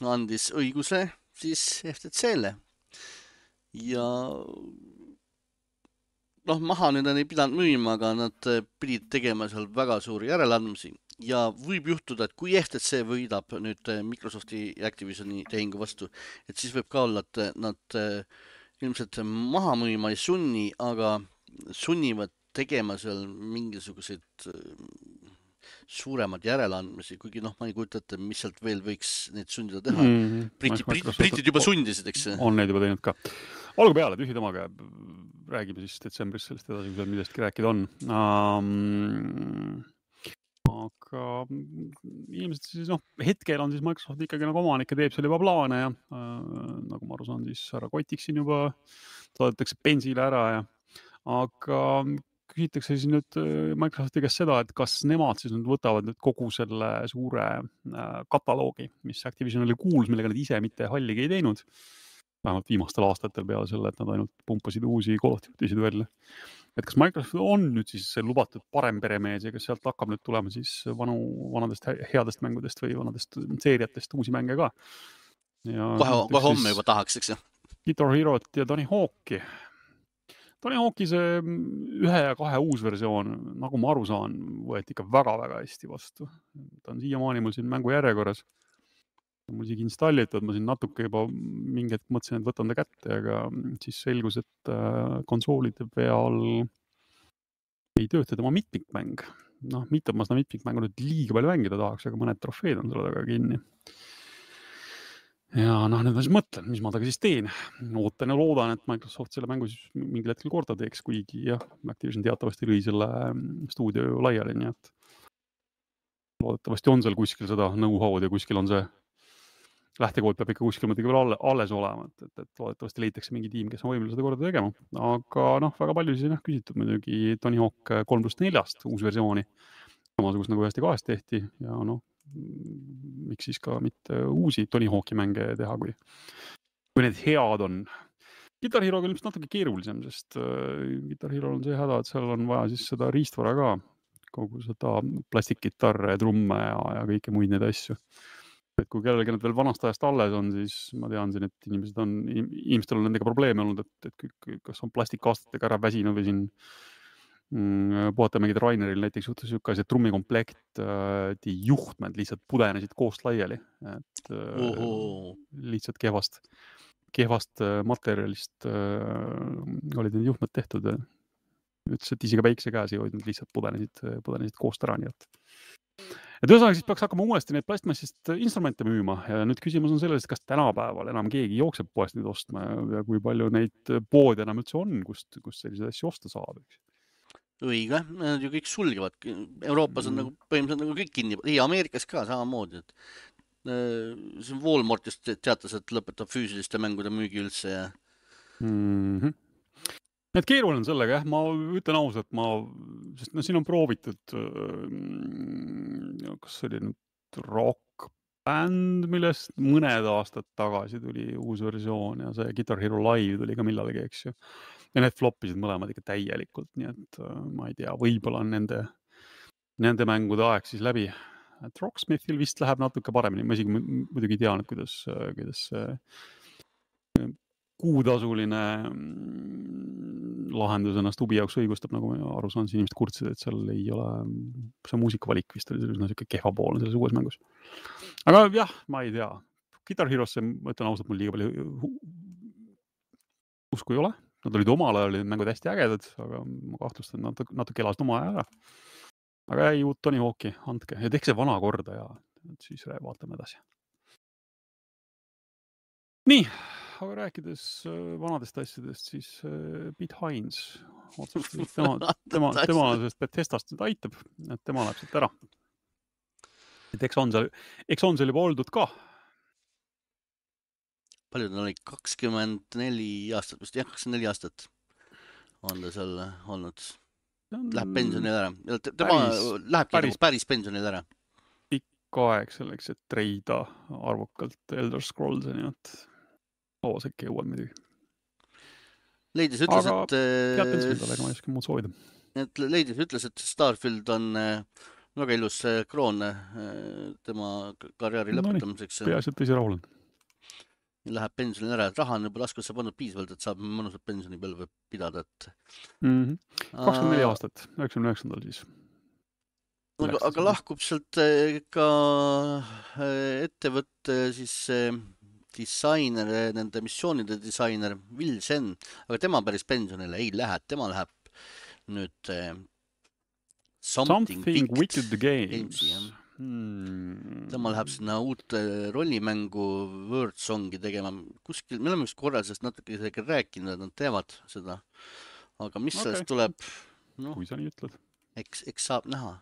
andis õiguse siis F T C-le. Ja noh, maha nüüd ei pidanud müüma, aga nad pidid tegema seal väga suuri järeleandmisi. Ja võib juhtuda, et kui F T C võidab nüüd Microsofti ja Activisioni tehingu vastu, et siis võib ka olla, et nad ilmselt maha müüma ei sunni, aga sunnivad tegema seal mingisuguseid suuremad järeleandmisi, kuigi noh, ma ei kujuta ette, mis sealt veel võiks neid sundida teha. Mm, Briti, Briti, Britid juba sundisid, eks? On neid juba teinud ka. Olgu peale, tühi temaga. Räägime siis detsembris sellest edasi, kui seal millestki rääkida on. Um, aga inimesed siis, noh, hetkel on siis Microsoft ikkagi nagu omanik ja teeb seal juba plaane ja uh, nagu ma aru saan, siis härra Kotiksin juba saadetakse bensile ära ja aga küsitakse siis nüüd Microsofti käest seda, et kas nemad siis nüüd võtavad nüüd kogu selle suure kataloogi, mis Activisionile kuulus, millega nad ise mitte halligi ei teinud. Vähemalt viimastel aastatel peale selle, et nad ainult pumpasid uusi kolotüütisid välja. Et kas Microsoft on nüüd siis lubatud parem peremees ja kas sealt hakkab nüüd tulema siis vanu, vanadest headest mängudest või vanadest seeriatest uusi mänge ka? Ja kohe, kohe homme juba tahaks, eks ju? Guitar Herot ja Tony Hawk'i. Tony Hawk'i see ühe ja kahe uus versioon, nagu ma aru saan, võeti ikka väga-väga hästi vastu. Ta on siiamaani mul siin mängu järjekorras. Mul isegi installitud, ma siin natuke juba mingi hetk mõtlesin, et võtan ta kätte, aga siis selgus, et konsoolide peal ei tööta tema mitmikmäng. Noh, mitte ma seda mitmikmängu nüüd liiga palju mängida tahaks, aga mõned trofeed on selle taga kinni. ja noh, nüüd ma siis mõtlen, mis ma taga siis teen. Ootan ja loodan, et Microsoft selle mängu siis mingil hetkel korda teeks, kuigi jah, Activision teatavasti lõi selle stuudio laiali, nii et loodetavasti on seal kuskil seda know-how'd ja kuskil on see lähtekood peab ikka kuskil muidugi veel alles olema, et, et, et loodetavasti leitakse mingi tiim, kes on võimeline seda korda tegema. Aga noh, väga palju siis on küsitud muidugi Tony Hawk kolm pluss neljast uus versiooni. Samasugust nagu ühest ja kahest tehti ja noh, miks siis ka mitte uusi Tony Hawki mänge teha, kui, kui need head on. Guitar Hero on ilmselt natuke keerulisem, sest äh, Guitar Hero on see häda, et seal on vaja siis seda riistvara ka, kogu seda plastikgitarre, trumme ja, ja kõike muid neid asju. Et kui kellelgi need veel vanast ajast alles on, siis ma tean siin, et inimesed on, inimestel on nendega probleeme olnud, et, et kas on plastikaastatega ära väsinud või siin mm, puhata mingid Raineril näiteks juhtus siuke asi, et trummikomplekt äh, juhtmed lihtsalt pudenesid koost laiali, et äh, lihtsalt kehvast, kehvast äh, materjalist äh, olid need juhtmed tehtud. Ütles, et isegi väikse käes ei hoidnud, lihtsalt pudenesid, pudenesid koost ära, nii et et ühesõnaga siis peaks hakkama uuesti neid plastmassist instrumente müüma ja nüüd küsimus on selles, kas tänapäeval enam keegi jookseb poest neid ostma ja kui palju neid poode enam üldse on, kust, kust selliseid asju osta saab. Õige, nad ju kõik sulgevad. Euroopas on mm. nagu põhimõtteliselt nagu kõik kinni. Ei, Ameerikas ka samamoodi. Et, see on Walmartist teatas, et lõpetab füüsiliste mängude müügi üldse. Ja... Mm-hmm. Need keeruline on sellega, jah, ma ütlen ausalt, ma, sest no siin on proovitud, kas see oli nüüd Rock Band, millest mõned aastad tagasi tuli uus versioon ja see Guitar Hero Live tuli ka millalgi, eks ju. Ja need floppisid mõlemad ikka täielikult, nii et ma ei tea, võib-olla on nende, nende mängude aeg siis läbi. Et Rocksmithil vist läheb natuke paremini, ma isegi muidugi tean, et kuidas, kuidas kuutasuline lahendus ennast hubi jaoks õigustab, nagu aru saan, inimesed kurtsid, et seal ei ole, see muusikavalik vist oli selline siuke kehvapoolne selles uues mängus. Aga jah, ma ei tea. Guitar Hero'sse, ma ütlen ausalt, mul liiga palju usku ei ole. Nad olid omal ajal, olid mängud hästi ägedad, aga ma kahtlustan, et nad natuke elasid oma aja ära. Aga ei, uut Tony Hawki, andke. Ja tehke see vana korda ja siis vaatame edasi. Nii. Aga rääkides vanadest asjadest, siis Pete Hines otsustas, tema, tema, tema sest Bethesdast nüüd aitab, et tema läheb siit ära. Et eks on seal, eks on seal juba oldud ka. Palju ta oli? kakskümmend neli aastat, vist jah, kakskümmend neli aastat on ta seal olnud. Läheb pensionil ära. Tema päris, lähebki päris, päris pensionil ära. Pikk aeg selleks, et treida arvukalt Elder Scrollsi, nii et loos äkki jõuad midagi. Leidis ütles, aga et... Aga pead ma ei oska muud soovida. Et Leidis ütles, et Starfield on väga ilus kroon tema karjääri no lõpetamiseks. Nii, peaasi, et tõsi rahul on. Läheb pensionil ära, et raha on juba laskusse pannud piisavalt, et saab mõnusat pensionipõlve pidada. Et... Mm-hmm. kakskümmend neli aastat, üheksakümne üheksandal siis. Aga, aga lahkub sealt ka ettevõtte siis... disainer, nende missioonide disainer Will Sen, aga tema päris pensionile ei lähe, tema läheb nüüd eh, Something, Something Wicked Games. Hmm. Tema läheb sinna uut rollimängu Wordsongi tegema. Kuskil, me oleme just korral sellest natuke isegi rääkinud, et nad teevad seda. Aga mis okay. sellest tuleb? No, kui sa nii ütled. Eks, eks saab näha.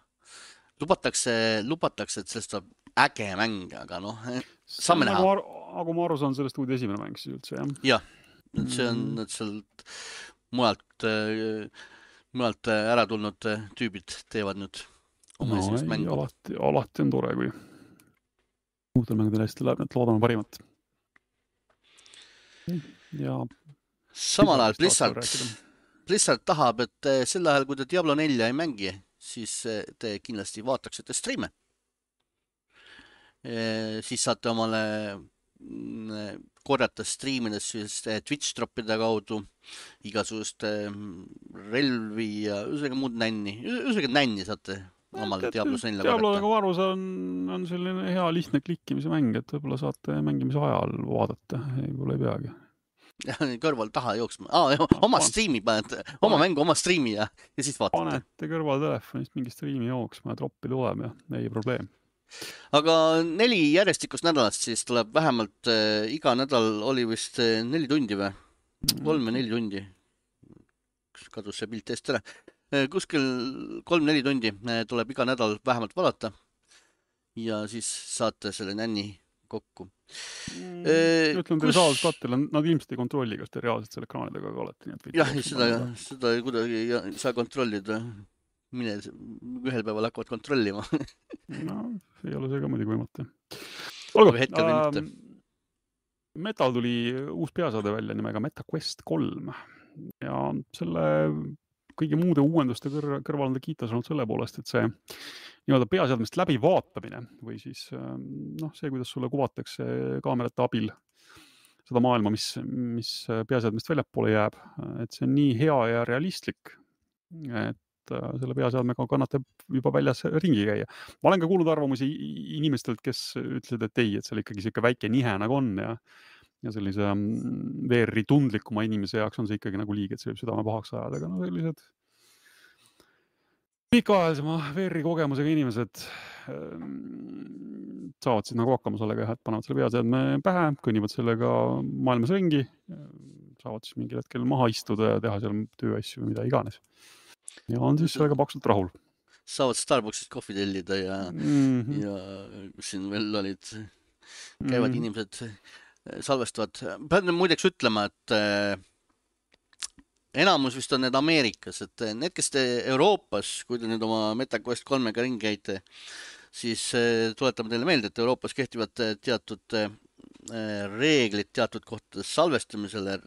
Lubatakse, lubatakse, et sellest saab äge mäng, aga noh, saame näha. Aga, aga ma aru saan sellest uude esimene mäng siis üldse, jah? Jah, et see on et sealt mujalt, mujalt ära tulnud tüübid teevad nüüd oma no, esimest mängu. Alati, alati on tore, kui uutel mängudel hästi läheb, et loodame parimat. Ja samal ajal Blizzard, Blizzard tahab, et sel ajal, kui te Diablo nelja ei mängi, siis te kindlasti vaataksite streame. Siis saate omale korjata streamides siis Twitch droppide kaudu igasuguste relvi ja ühesõnaga muud nänni. Ühesõnaga nänni saate omale Diablo nelja korjata. Diablo nagu arvus on, on selline hea lihtne klikkimise mäng, et võib-olla saate mängimise ajal vaadata. Võib-olla ei peagi. Kõrval taha jooksma. Ah, oma streami panete, oma Panet. mängu, oma streami ja, ja siis vaatate. Panete kõrval telefonist mingi streami jooksma ja troppi tuleb ja ei probleem. aga neli järjestikust nädalast siis tuleb vähemalt äh, iga nädal oli vist äh, neli tundi või? kolm või neli tundi. Kadus see pilt eest ära. Äh, kuskil kolm-neli tundi äh, tuleb iga nädal vähemalt vaadata. Ja siis saate selle nänni kokku. Mm, ütlen teile saadus kattele, nad ilmselt ei kontrolli, kas te reaalselt selle ekraanidega ka olete. Nii et jah, seda, seda kuidagi ei saa kontrollida. Mine ühel päeval hakkavad kontrollima. no, ei ole see ka muidugi võimatu. Olgu, äh, Metal tuli uus peasaade välja nimega MetaQuest kolm. Ja selle kõigi muude uuenduste kõr kõrval on ta kiitas olnud selle poolest, et see nii-öelda peaseadmest läbi vaatamine või siis noh, see, kuidas sulle kuvatakse kaamerate abil seda maailma, mis, mis peaseadmest väljapoole jääb, et see on nii hea ja realistlik, et selle peaseadmega kannatab juba väljas ringi käia. Ma olen ka kuulnud arvamusi inimestelt, kes ütlesid, et ei, et seal ikkagi siuke väike nihe nagu on ja ja sellise V R-i tundlikuma inimese jaoks on see ikkagi nagu liig, et see võib südame pahaks ajada, aga no sellised pikaajalisema V R-i kogemusega inimesed saavad siis nagu hakkama sellega, et panevad selle peaseadme pähe, kõnnivad sellega maailmas ringi, saavad siis mingil hetkel maha istuda ja teha seal tööasju või mida iganes. Ja on siis sellega paksult rahul. Saavad Starbucksist kohvi tellida ja, mm -hmm. ja siin veel olid, käivad mm -hmm. inimesed salvestavad. Pean muideks ütlema, et äh, enamus vist on need Ameerikas, et need, kes te Euroopas, kui te nüüd oma MetaQuest kolmega ringi käite, siis äh, tuletame teile meelde, et Euroopas kehtivad teatud äh, reeglid teatud kohtades salvestamisele,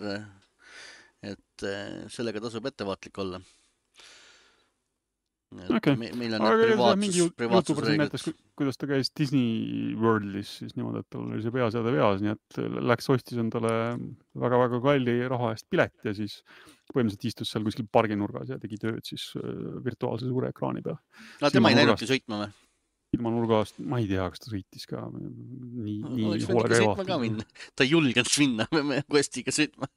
et äh, sellega tasub ettevaatlik olla. Okay. Me, meil on need privaatsus, privaatsusreeglid. Kuidas ta käis Disney Worldis siis niimoodi, et tal oli see peaseade veas, nii et läks ostis endale väga-väga kalli raha eest pilet ja siis põhimõtteliselt istus seal kuskil parginurgas ja tegi tööd siis virtuaalse suure ekraani peal. No tema ei läinudki sõitma või? Ilma nurgast, ma ei tea, kas ta sõitis ka nii, no, nii hoolega ei vaata. Ta ei julgenud minna Questiga sõitma.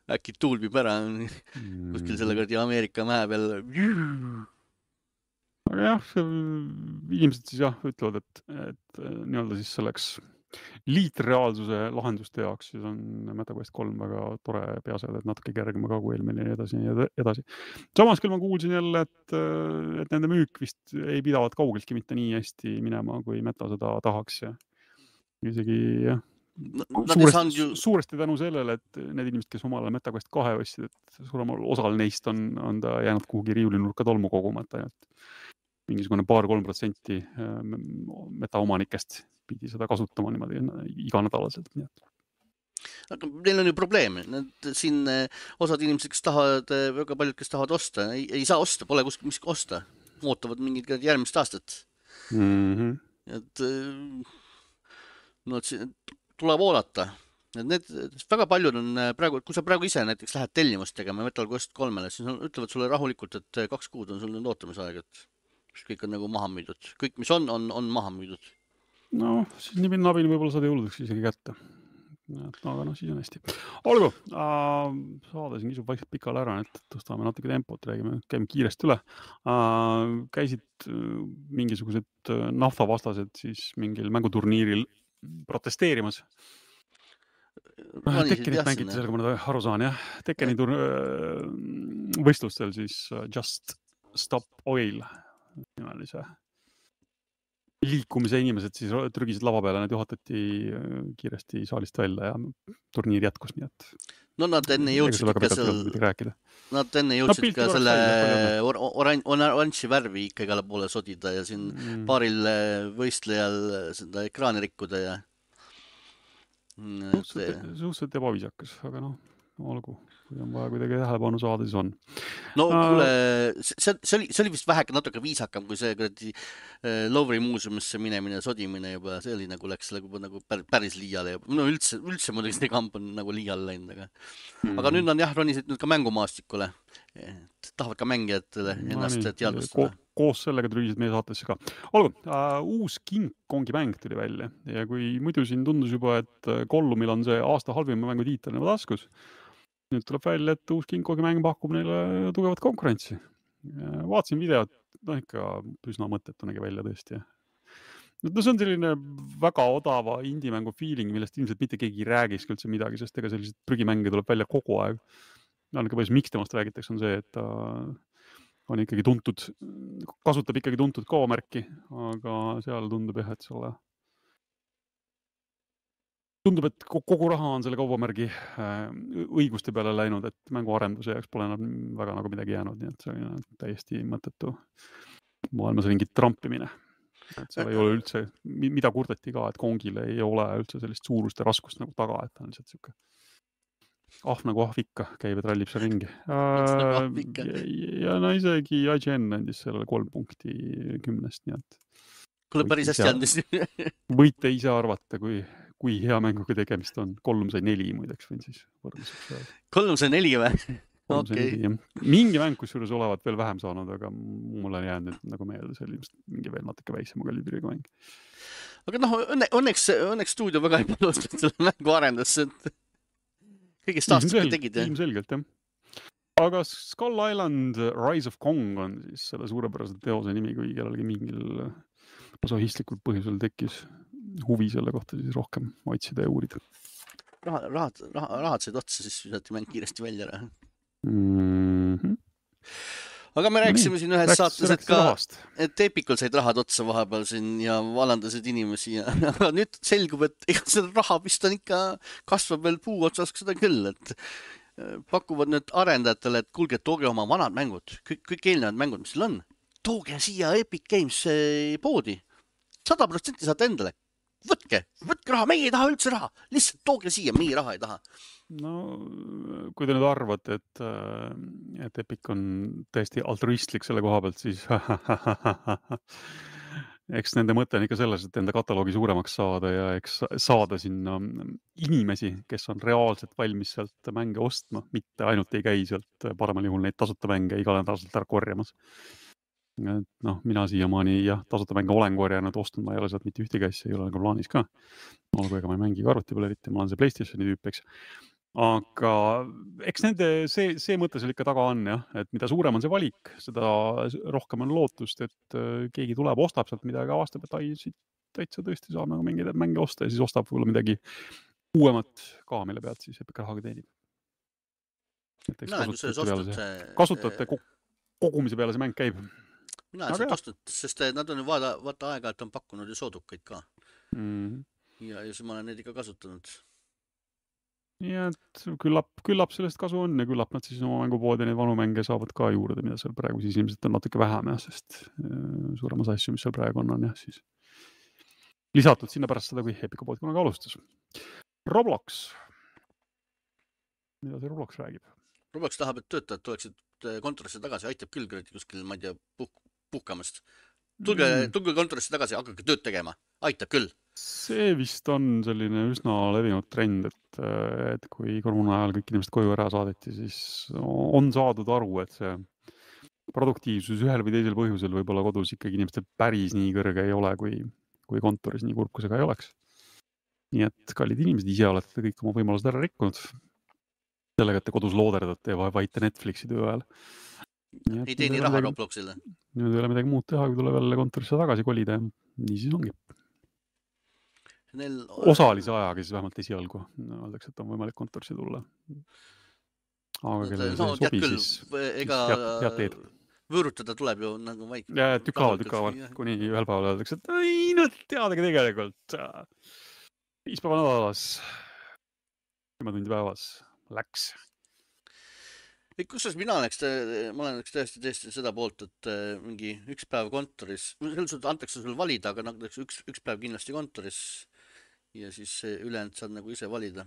Äkki tuulbib ära kuskil selle kõrdi Ameerika mäe peal. Aga jah, inimesed siis jah ütlevad, et, et nii-öelda siis selleks liitreaalsuse lahenduste jaoks siis on MetaQuest kolm väga tore peaseade, et natuke kergema ka kui eelmine ja edasi ja edasi. Samas küll ma kuulsin jälle, et, et nende müük vist ei pidavat kaugeltki mitte nii hästi minema, kui Meta seda tahaks ja isegi jah, no, suuresti, ju... suuresti tänu sellele, et need inimesed, kes omale MetaQuest kahe ostsid, et suuremal osal neist on, on ta jäänud kuhugi riiulinurka tolmu kogumata ja mingisugune paar-kolm protsenti metaomanikest pidi seda kasutama niimoodi iganädalaselt. Aga neil on ju probleem. Need, siin osad inimesed, kes tahavad, väga paljud, kes tahavad osta, ei, ei saa osta, pole kuskil mis osta. Ootavad mingid järgmist aastat. Mm -hmm. Et, no, et tuleb oodata. Et need, väga paljud on praegu, kui sa praegu ise näiteks lähed tellimust tegema MetaQuest kolmele, siis on, ütlevad sulle rahulikult, et kaks kuud on sul nüüd ootamisaeg, et kõik on nagu maha müüdud. Kõik, mis on, on, on maha müüdud. No, siis nii minna abini võib-olla saada jõuludeks isegi kätte. Aga no, siis on hästi. Olgu, äh, saada siin kisub vaikselt pikale ära, et tõstame natuke tempot, räägime, käime kiiresti üle. Äh, käisid mingisugused naftavastased siis mingil mänguturniiril protesteerimas. Tekkenit mängiti sellega, ma nüüd aru saan, jah. Tekkeni tur- võistlustel siis Just Stop Oil nimelise liikumise inimesed siis trügisid lava peale, nad juhatati kiiresti saalist välja ja turniir jätkus, nii et... No nad enne jõudsid ka seal... Nad enne jõudsid no, ka selle oran oranži värvi ikka igale poole sodida ja siin mm. paaril võistlejal seda ekraani rikkuda ja... Suhteliselt ebaviisakas, aga noh, olgu. Kui on vaja kuidagi tähelepanu saada, siis on. No kuule, see, see, oli, see oli vist väheke natuke viisakam, kui see kuradi Louvre'i muuseumisse minemine ja sodimine juba, see oli nagu läks juba nagu päris liiale. No üldse, üldse muidugi see kamp on nagu liiale läinud, aga, mm. aga nüüd on jah, ronisid nüüd ka mängumaastikule. Tahavad ka mängijatele ennast no, teadvustada. Ko koos sellega trügisid meie saatesse ka. Olgu, uh, uus King Kongi mäng tuli välja ja kui muidu siin tundus juba, et Gollumil on see aasta halvima mängu tiitel nagu taskus, nüüd tuleb välja, et uus King Kongi mäng pakub neile tugevat konkurentsi. Vaatasin videot, no ikka üsna mõttetu nägi välja tõesti. no see on selline väga odava indie-mängu feeling, millest ilmselt mitte keegi ei räägiks üldse midagi, sest ega sellised prügimänge tuleb välja kogu aeg. Ainuke põhjus, miks temast räägitakse, on see, et ta on ikkagi tuntud, kasutab ikkagi tuntud K-märki, aga seal tundub jah, et selle tundub, et kogu raha on selle kaubamärgi õiguste peale läinud, et mänguarenduse jaoks pole enam väga nagu midagi jäänud, nii et see on täiesti mõttetu maailmas ringit trampimine. Et seal ei ole üldse, mida kurdeti ka, et Kongile ei ole üldse sellist suurust ja raskust nagu taga, et ta on lihtsalt siuke ahv nagu ahv ikka, käib ja trallib seal ringi. Ja, ja no isegi I G N andis sellele kolm punkti kümnest, nii et kuule päris hästi andis. Võite ise arvata, kui, kui hea mänguga tegemist on. Kolm sai neli muideks võin siis võrdluseks öelda. Kolm sai neli või? Okay. Mingi mäng, kus juures olevat veel vähem saanud, aga mulle on jäänud nagu meelde, see oli mingi veel natuke väiksema kalibriga mäng. Aga noh, õnne, õnneks, õnneks stuudio väga ei palustanud selle mängu arendasse, et kõigest aastaga tegid. Ilmselgelt, jah. Aga Skull Island Rise of Kong on siis selle suurepärase teose nimi, kui kellelgi mingil masohistlikul põhjusel tekkis huvi selle kohta siis rohkem otsida ja uurida. Raha, rahad, rahad, rahad said otsa, siis visati mäng kiiresti välja ära. Mm-hmm. Aga me rääkisime no, siin ühes läks, saates, et ka rahast. Et Epicul said rahad otsa vahepeal siin ja valandasid inimesi ja aga nüüd selgub, et ega seda raha vist on ikka kasvab veel puu otsas seda küll, et pakuvad nüüd arendajatele, et kuulge, tooge oma vanad mängud, kõik, kõik eelnevad mängud, mis seal on, tooge siia Epic Games poodi, sada protsenti saate endale. Võtke, võtke raha, meie ei taha üldse raha, lihtsalt tooge siia, meie raha ei taha. No, kui te nüüd arvate, et, et Epic on täiesti altruistlik selle koha pealt, siis eks nende mõte on ikka selles, et enda kataloogi suuremaks saada ja eks saada sinna inimesi, kes on reaalselt valmis sealt mänge ostma, mitte ainult ei käi sealt paremal juhul neid tasuta mänge igal nädalalt ära korjamas. Et noh, mina siiamaani jah, tasuta mänge olen korjanud, ostnud, ma ei ole sealt mitte ühtegi asja, ei ole nagu plaanis ka. Olgu, ega ma ei mängi arvuti peale eriti, ma olen see PlayStationi tüüp, eks. Aga eks nende see, see mõte seal ikka taga on, jah, et mida suurem on see valik, seda rohkem on lootust, et keegi tuleb, ostab sealt midagi, avastab, et ai, siit täitsa tõesti saab nagu mingeid mänge osta ja siis ostab võib-olla midagi uuemat ka, mille pealt siis Epic rahaga teenib. Kasutajate kogumise peale see mäng käib. Mina olen sealt ostnud, sest nad on vaata, vaata aega, et on pakkunud ju soodukaid ka. Mm. Ja, ja siis ma olen neid ikka kasutanud. Ja, et küllap, küllap sellest kasu on ja küllap nad siis oma mängupoodi neid vanu mänge saavad ka juurde, mida seal praegu siis ilmselt on natuke vähem, jah, sest suurem osa asju, mis seal praegu on, on jah, siis lisatud sinna pärast seda, kui Epica pood kunagi alustas. Roblox. Mida see Roblox räägib? Roblox tahab, et töötajad tuleksid kontorisse tagasi, aitab küll kuskil, ma ei tea, puh puhkamast. Tulge, mm. tulge kontorisse tagasi, hakake tööd tegema. Aitab küll. See vist on selline üsna levinud trend, et, et kui koroona ajal kõik inimesed koju ära saadeti, siis on saadud aru, et see produktiivsus ühel või teisel põhjusel võib-olla kodus ikkagi inimestel päris nii kõrge ei ole, kui, kui kontoris nii kurb, kui see ka ei oleks. Nii et kallid inimesed, ise olete kõik oma võimalused ära rikkunud. Sellega, et te kodus looderdate ja vaite Netflixi töö ajal. Ei teeni raha Robloxile. Nüüd ei ole midagi muud teha, kui tuleb jälle kontorisse tagasi kolida ja nii siis ongi. Neil... Osalise ajaga siis vähemalt esialgu. Öeldakse, et on võimalik kontorisse tulla. Aga kellele no, see sobi, küll, siis ega head, head teed. Võõrutada tuleb ju nagu vaik. Ja tükavalt, tükavalt, kuni ühel päeval öeldakse, et ei, no teadagi tegelikult. Viis päeva nädalas, kümme tundi päevas läks. Kusjuures mina oleks, ma olen tõesti tõesti seda poolt, et mingi üks päev kontoris, selles antakse sul valida, aga nagu üks, üks päev kindlasti kontoris ja siis ülejäänud saad nagu ise valida.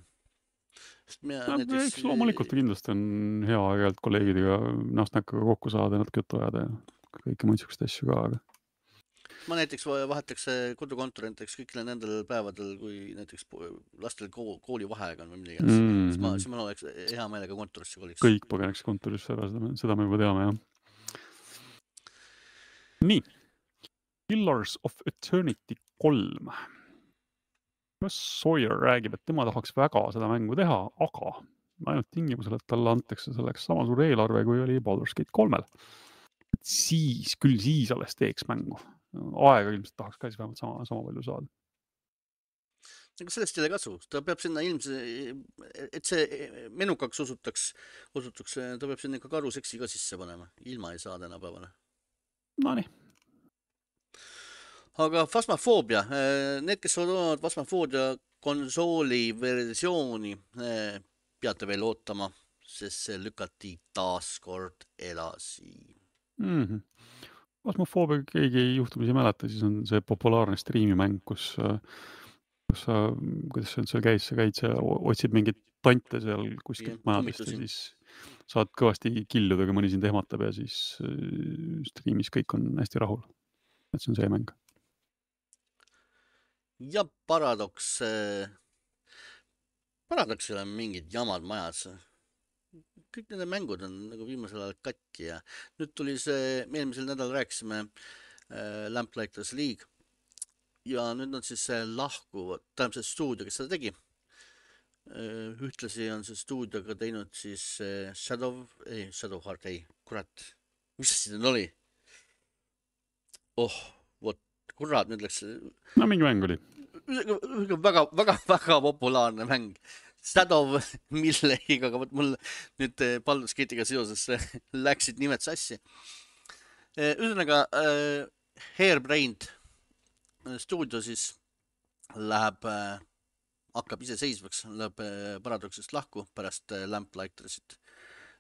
No, näiteks... Eks loomulikult kindlasti on hea aeg kolleegidega näost näkkaga kokku saada ja natuke juttu ajada ja kõike muid sükest asju ka. Aga... Ma näiteks vahetaks kodukontori näiteks kõikile nendel päevadel, kui näiteks lastel kooli vaheaega on või midagi. Mm-hmm. Siis, ma, siis ma oleks hea meelega kontorisse koliks. Kõik põgeneks kontorisse ära, seda, seda me juba teame, jah. Nii. Pillars of Eternity kolm. Sawyer räägib, et tema tahaks väga seda mängu teha, aga ainult tingimusel, et talle antakse selleks sama suur eelarve, kui oli Baldur's Gate kolmel. Siis, küll siis alles teeks mängu. aega ilmselt tahaks ka siis vähemalt sama, sama palju saada. Aga sellest ei ole kasu, ta peab sinna ilmse, et see menukaks osutaks, osutuks, ta peab sinna ikka karuseksi ka sisse panema, ilma ei saa tänapäevale. No nii. Aga Phasmophobia, need, kes on Phasmophobia konsooli versiooni, peate veel ootama, sest see lükati taas kord edasi. Mm-hmm. Phasmophobia keegi juhtumisi ei mäleta, siis on see populaarne striimimäng, kus, kus sa, kuidas see seal käis, sa käid, sa otsid mingit tante seal kuskilt ja, majadest ja siis saad kõvasti killuda, kui mõni sind ehmatab ja siis striimis kõik on hästi rahul. Et see on see mäng. Ja Paradox, Paradoxil on mingid jamad majas. Kõik nende mängud on nagu viimasel ajal katki ja nüüd tuli see, me eelmisel nädal rääkisime äh, Lamplighters League ja nüüd on siis see lahku, tähendab see stuudio, kes seda tegi. Äh, ühtlasi on see stuudio ka teinud siis äh, Shadow, ei, Shadow Heart, ei, kurat, mis see nüüd oli? Oh, vot, kurat, nüüd läks... No mingi mäng oli. Väga, väga, väga populaarne mäng. Shadow millegagi, aga võt mul nüüd Baldur's Gate'iga seoses läksid nimed sassi. Ühesõnaga, Hairbrained stuudio siis läheb, hakkab iseseisvaks, läheb Paradoxist lahku pärast Lamplighters,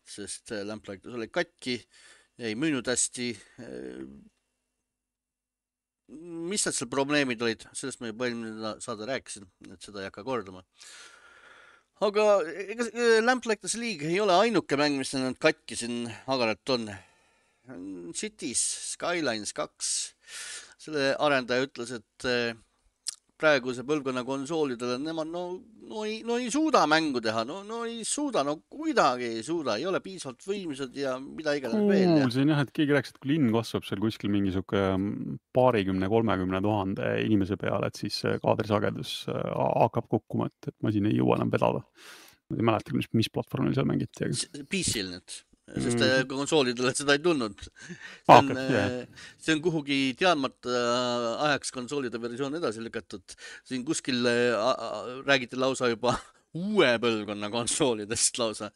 sest Lamplighters oli katki, ei müünud hästi. Mis need seal probleemid olid? Sellest ma juba eelmine saada rääkisin, et seda ei hakka kordama. Aga ega Lamplighters League ei ole ainuke mäng, mis on katki siin agaralt on. Cities Skylines kaks. Selle arendaja ütles, et praeguse põlvkonna konsoolidele nemad no, no, ei, no ei suuda mängu teha, no, no ei suuda, no kuidagi ei suuda, ei ole piisavalt võimsad ja mida iganes veel. Kuulsin jah, et keegi rääkis, et kui linn kasvab seal kuskil mingi suke paarikümne, kolmekümne tuhande inimese peale, et siis kaadrisagedus hakkab kukkuma, et, et masin ei jõua enam vedada. Ma ei mäleta, mis, mis platvormil seal mängiti. P C-l nüüd. Sest mm. konsoolidele seda ei tulnud. See on, okay, yeah. see on kuhugi teadmata ajaks konsoolide versioon edasi lükatud. Siin kuskil räägiti lausa juba uue põlvkonna konsoolidest lausa.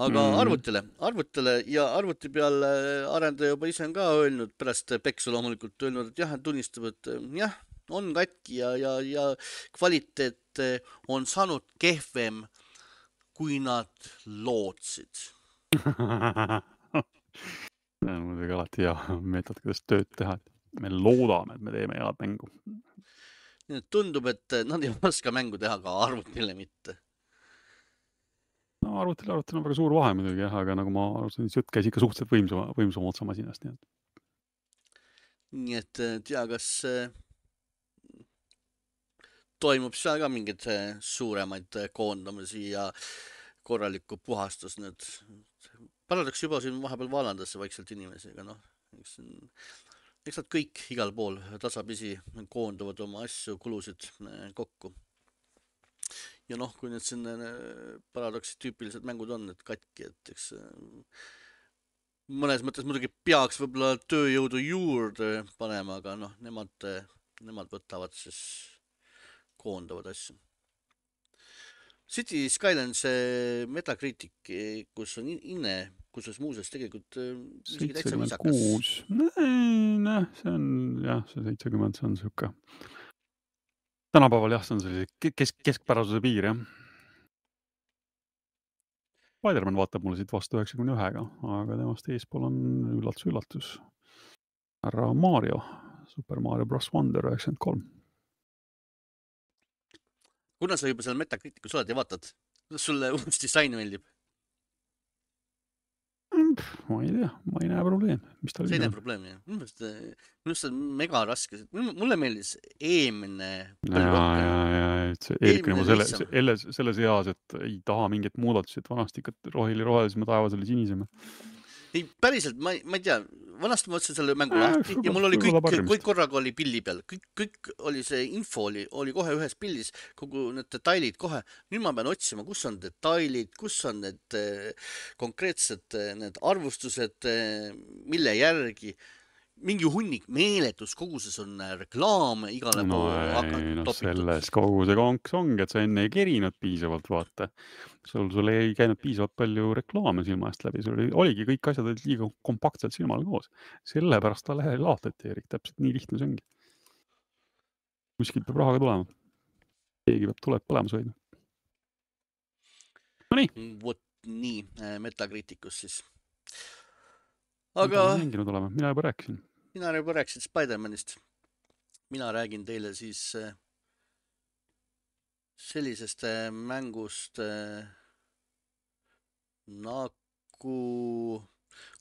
Aga mm. arvutile, arvutile ja arvuti peal arendaja juba ise on ka öelnud, pärast peksu loomulikult öelnud, et jah, tunnistab, et jah, on katki ja, ja, ja kvaliteet on saanud kehvem, kui nad lootsid. See on muidugi alati hea meetod, kuidas tööd teha. Me loodame, et me teeme head mängu. Tundub, et nad ei oska mängu teha ka arvutile mitte. No arvutile, arvutile on väga suur vahe muidugi, jah, aga nagu ma arvasin, siis jutt käis ikka suhteliselt võimsama, võimsama otsa masinast. Nii et, nii et tea, kas toimub seal ka mingid suuremaid koondamisi ja korralikku puhastus nüüd. Paradox juba siin vahepeal vaalandasse vaikselt inimesi, aga noh, eks, eks nad kõik igal pool tasapisi koonduvad oma asju, kulusid kokku. Ja noh, kui need siin Paradoxi tüüpilised mängud on, et katki, et eks mõnes mõttes muidugi peaks võib-olla tööjõudu juurde panema, aga noh, nemad, nemad võtavad siis koondavad asju. City Skylines Metacritic, kus on inne, kus on muuses tegelikult seitsekümmend kuus. Näe, see on, jah, see seitsekümmend, see on siuke. Tänapäeval jah, see on sellise kesk, keskpärasuse piir, jah. Spider-Man vaatab mulle siit vastu üheksakümne ühega, aga temast eespool on üllatus, üllatus. Härra Mario, Super Mario Bros. Wonder üheksakümmend kolm. Kuna sa juba seal Metacriticus oled ja vaatad, kuidas sulle uus disain meeldib? Ma ei tea, ma ei näe probleemi. Mis ta see ei näe probleemi, jah. Minu arust on mega raske. Mulle meeldis eelmine ja, ja, ja, see eelkõne ma selle, selle, selles eas, et ei taha mingit muudatust, et vanasti ikka rohili rohelisema taevas oli sinisema. Ei, päriselt, ma, ma ei tea, vanasti ma otsin selle mängu lahti ja mul oli kõik, kõik korraga oli pilli peal, kõik, kõik oli see info oli, oli kohe ühes pillis, kogu need detailid kohe. Nüüd ma pean otsima, kus on detailid, kus on need konkreetsed need arvustused, mille järgi. mingi hunnik, meeletus koguses on reklaame igale no poole ei, noh, topitud. selles kogu see konks ongi, et sa enne ei kerinud piisavalt, vaata. Sul, sul ei käinud piisavalt palju reklaame silma eest läbi, sul oli, oligi kõik asjad olid liiga kompaktselt silmal koos. Sellepärast ta lehel laotati, Erik, täpselt nii lihtne see ongi. Kuskilt peab rahaga tulema. Keegi peab tuleb põlemas hoidma. No nii. Vot nii, Metacriticus siis. Aga... Aga... Mida mänginud olema? Mina juba rääkisin. Mina juba rääkisin Spider-Manist. Mina räägin teile siis sellisest mängust nagu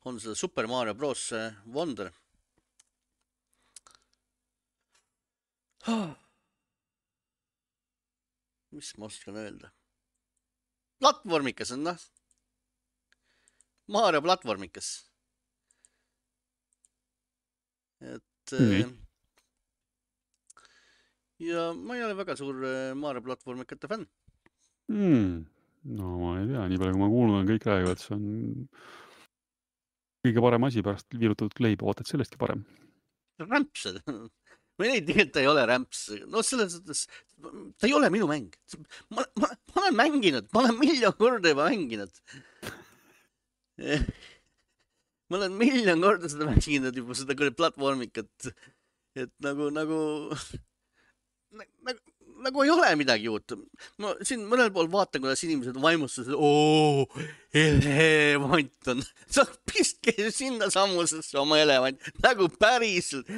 on seda Super Mario Bros. Wonder. Mis ma oskan öelda? Platvormikas on, noh. Mario platvormikas. Et nii. Ja ma ei ole väga suur Mario platvormikate fänn. Mm. No ma ei tea, nii palju kui ma kuulnud on, kõik räägivad, see on kõige parem asi pärast viirutatud kleiba, ootad sellestki parem. Rämps. Ma ei tegelikult ta ei ole rämps. No selles suhtes, ta ei ole minu mäng. Ma, ma, ma olen mänginud, ma olen miljon korda juba mänginud. Ma olen miljon korda seda mänginud juba, seda küll platvormikat. Et nagu, nagu, nagu, nagu ei ole midagi uut. Ma siin mõnel pool vaatan, kuidas inimesed vaimustasid, oo, elevant on. Sa pistke sinna sammusesse oma elevant, nagu päriselt.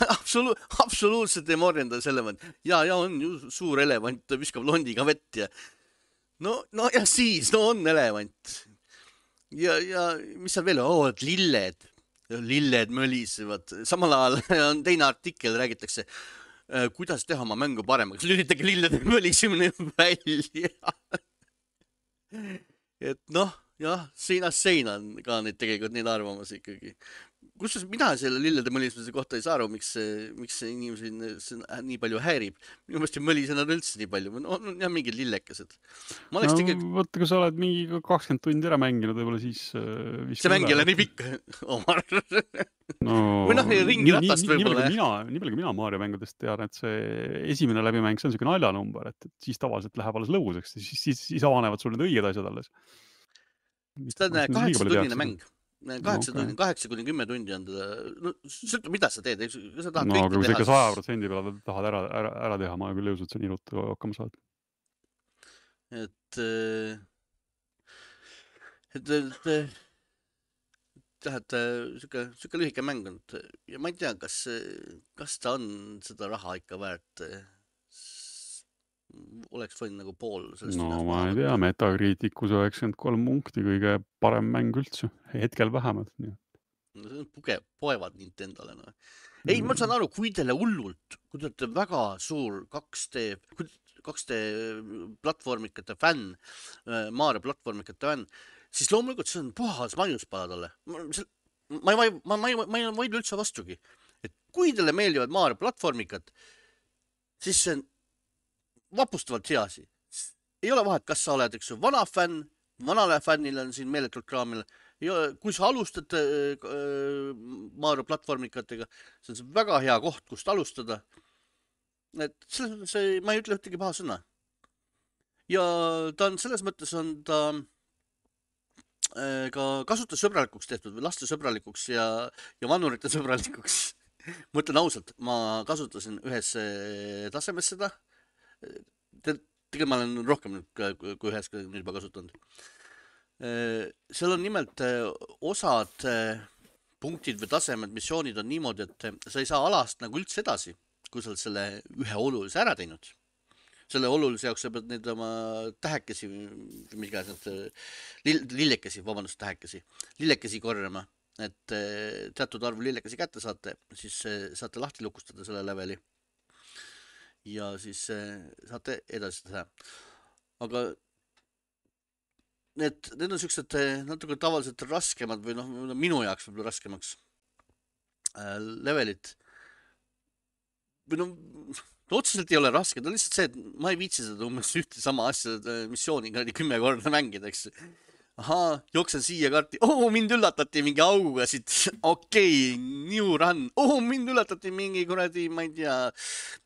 Absolu absoluutselt ei morjenda selle mõnd. Ja, ja on ju suur elevant, ta viskab londiga vett ja no, no ja siis, no on elevant. Ja, ja mis seal veel on? Oo, et lilled. Lilled mölisevad. Samal ajal on teine artikkel, räägitakse, kuidas teha oma mängu paremaks. Lülitage lillede mölisemine välja. Et noh, jah, seinast seina on ka neid tegelikult neid arvamas ikkagi. Kusjuures mina selle lillede mölisemise kohta ei saa aru, miks see, miks see inimesi nii palju häirib. Minu meelest ei mölise nad üldse nii palju. On jah mingid lillekesed. Ma oleks no, tegelikult... Võtta, kui sa oled mingi kakskümmend tundi ära mänginud, võib-olla siis... Uh, see mäng ei ole nii pikk, Omar. No, või noh, ringi ratast võib-olla. Nii palju kui mina Mario mängudest tean, et see esimene läbimäng, see on selline naljanumber, et siis tavaliselt läheb alles lõbuseks, siis, siis, siis avanevad sul need õiged asjad alles. See on kaheksa tunnine mäng. kaheksa okay. tundi, kaheksa kuni kümme tundi on teda, no sõltu, mida sa teed, sa tahad no, kõike aga kui teha. sa ikka saja protsendi peale tahad ära, ära, ära teha, ma küll jõus, et sa nii ruttu hakkama saad. Et, et, et, et, süke, süke lühike mäng on ja ma ei tea, kas, kas ta on seda raha ikka väärt. Oleks võinud nagu pool sellest. No ma ei tea, Metacriticus üheksakümmend kolm punkti, kõige parem mäng üldse, hetkel vähemalt. Nii. No see on puge, poevad Nintendole. No. Ei, ma saan aru, kui teile hullult, kui te olete väga suur kaks D, kaks D platvormikate fänn, Mario platvormikate fänn, siis loomulikult see on puhas maiuspala talle. Ma, ma, ma, ma, ma, ma ei vaidle üldse vastugi. Et kui teile meeldivad Mario platvormikad, siis see on vapustavalt heasi. Ei ole vahet, kas sa oled üks vana fänn, vanale fännile on siin meeletult kraamil. Kui sa alustad Mario platvormikatega, see on väga hea koht, kust alustada. Et selles mõttes ma ei ütle ühtegi paha sõna. Ja ta on selles mõttes on ta ka kasutussõbralikuks tehtud või laste sõbralikuks ja, ja vanurite sõbralikuks. Ma ütlen ausalt, ma kasutasin ühes tasemes seda. Tegelikult ma olen rohkem kui ühes nüüd juba kasutanud. Seal on nimelt osad punktid või tasemed, missioonid on niimoodi, et sa ei saa alast nagu üldse edasi, kui sa oled selle ühe olulise ära teinud. Selle olulise jaoks sa pead neid oma tähekesi, migas need lillekesi, vabandust, tähekesi, lillekesi korjama, et teatud arvu lillekesi kätte saate, siis saate lahti lukustada selle leveli. Ja siis saate edasi teha. Aga need, need on sellised natuke tavaliselt raskemad või noh, minu jaoks võib-olla raskemaks levelit. Või noh, otseselt ei ole raske, ta on lihtsalt see, et ma ei viitsi seda umbes ühte sama asja missiooni kümme korda mängida, eks. ahaa, jooksen siia karti, oh, mind üllatati mingi auguga siit, okei okay,, new run, oh, mind üllatati mingi kuradi, ma ei tea,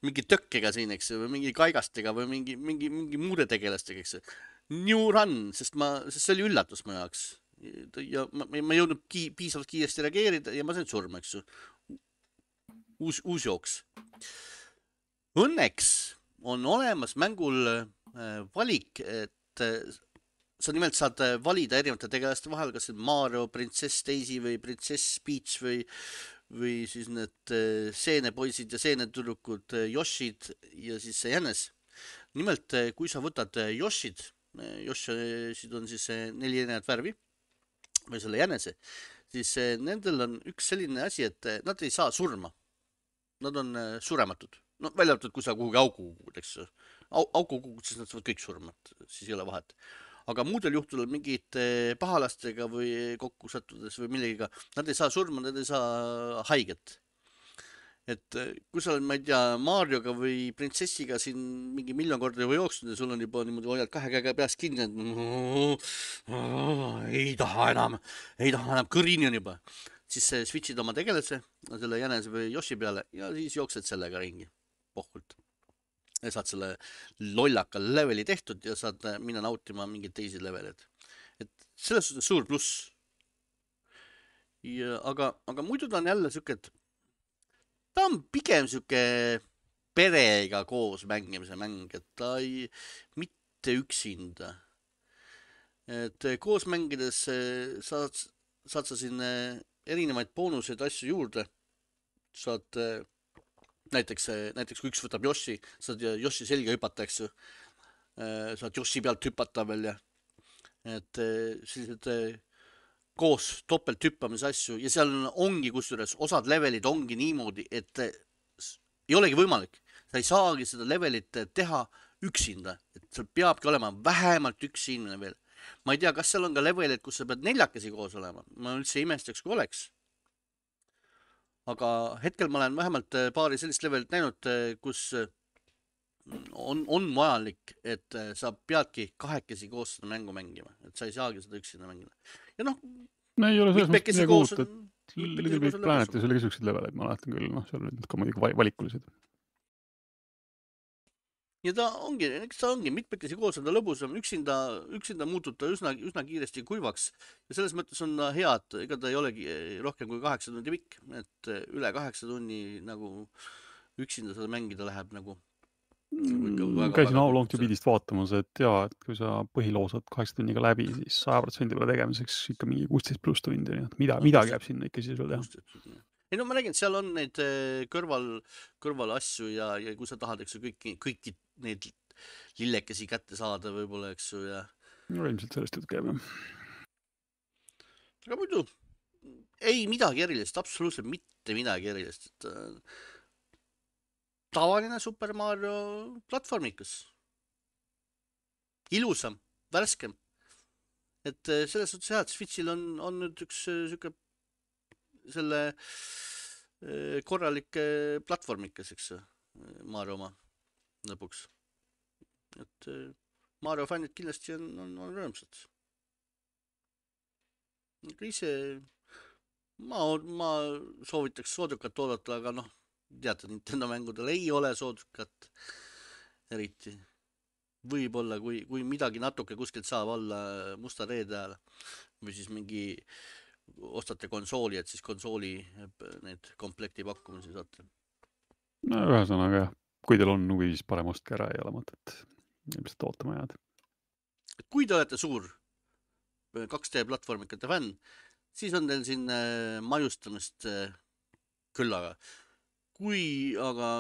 mingi tökkega siin, eks ju, või mingi kaigastega või mingi, mingi, mingi muude tegelastega, eks ju. New run, sest ma, sest see oli üllatus mu jaoks. ja ma, ma ei jõudnud ki, piisavalt kiiresti reageerida ja ma sain surma, eks ju. uus, uus jooks. Õnneks on olemas mängul äh, valik, et äh, sa nimelt saad valida erinevate tegelaste vahel, kas see Mario, Princess Daisy või Princess Peach või, või siis need äh, seenepoisid ja seenetüdrukud, Yoshid ja siis see jänes. Nimelt, kui sa võtad Yoshid, Yoshid on siis neli erinevat värvi või selle jänese, siis nendel on üks selline asi, et nad ei saa surma. Nad on surematud. No välja arvatud, kui sa kuhugi auku kukud, eks au, auku kukud, siis nad saavad kõik surma, siis ei ole vahet. Aga muudel juhtudel mingite pahalastega või kokku sattudes või millegiga, nad ei saa surma, nad ei saa haiget. Et kui sa oled, ma ei tea, Marioga või printsessiga siin mingi miljon korda juba jooksnud ja sul on juba niimoodi hoiad kahe käega peast kinni, et ei taha enam, ei taha enam, kõrini on juba. Siis switchid oma tegelase, selle jänese või Yoshi peale ja siis jooksed sellega ringi pohkult. Ja saad selle lollaka leveli tehtud ja saad minna nautima mingid teisi levelid. Et selles suhtes suur pluss. Ja, aga, aga muidu ta on jälle siuke, et ta on pigem siuke perega koos mängimise mäng, et ta ei, mitte üksinda. Et koos mängides saad, saad sa siin erinevaid boonuseid asju juurde. Saad näiteks, näiteks kui üks võtab Yoshi, saad Yoshi selga hüpata, eks ju. Saad Yoshi pealt hüpata veel ja et sellised koos topelt hüppamise asju ja seal ongi kusjuures osad levelid ongi niimoodi, et ei olegi võimalik. Sa ei saagi seda levelit teha üksinda, et seal peabki olema vähemalt üks inimene veel. Ma ei tea, kas seal on ka levelid, kus sa pead neljakesi koos olema. Ma üldse imestaks, kui oleks. Aga hetkel ma olen vähemalt paari sellist levelit näinud, kus on, on vajalik, et sa peadki kahekesi koos seda mängu mängima. Et sa ei saagi seda üksinda mängida. Ja noh, no ei ole selles mõttes midagi uut, et mitmekesi Little Big koos on Planetis oli kesukesed leveleid, ma mäletan küll, noh, seal olid ka muidugi valikulised. Ja ta ongi, eks ta ongi, mitmekesi koos on ta lõbusam, üksinda, üksinda muutub ta üsna, üsna kiiresti kuivaks ja selles mõttes on ta hea, et ega ta ei olegi rohkem kui kaheksa tundi pikk, et üle kaheksa tunni nagu üksinda seda mängida läheb nagu. Mm, käisin How Long to Beat'ist vaatamas, et jaa, et kui sa põhiloos saad kaheksa tunniga läbi, siis saja protsendi peale tegemiseks ikka mingi kuusteist pluss tundi, nii et mida, no, midagi jääb sinna ikka siis veel teha. Ei no ma räägin, seal on neid kõrval, kõrval asju ja, ja kui sa tahad, eks ju, kõiki, kõiki neid lillekesi kätte saada võib-olla, eks ju, ja... No ilmselt sellest jutt käib, jah. Aga muidu, ei midagi erilist, absoluutselt mitte midagi erilist, et tavaline Super Mario platvormikas. Ilusam, värskem. Et selles suhtes jah, et Switchil on, on nüüd üks siuke selle korralik platvormikas, eks Mario oma lõpuks. Et Mario fännid kindlasti on, on, on rõõmsad. Aga ise ma, ma soovitaks soodukat oodata, aga noh, teate, Nintendo mängudel ei ole soodukat eriti. Võib-olla, kui, kui midagi natuke kuskilt saab olla musta reede ajal või siis mingi ostate konsooli, et siis konsooli need komplekti pakkumisi saate. No ühesõnaga, kui teil on huvi, siis parem ostke ära, ei ole mõtet ilmselt ootama jääda. Kui te olete suur kaks D platvormikate fänn, siis on teil siin majustamist küllaga. Kui aga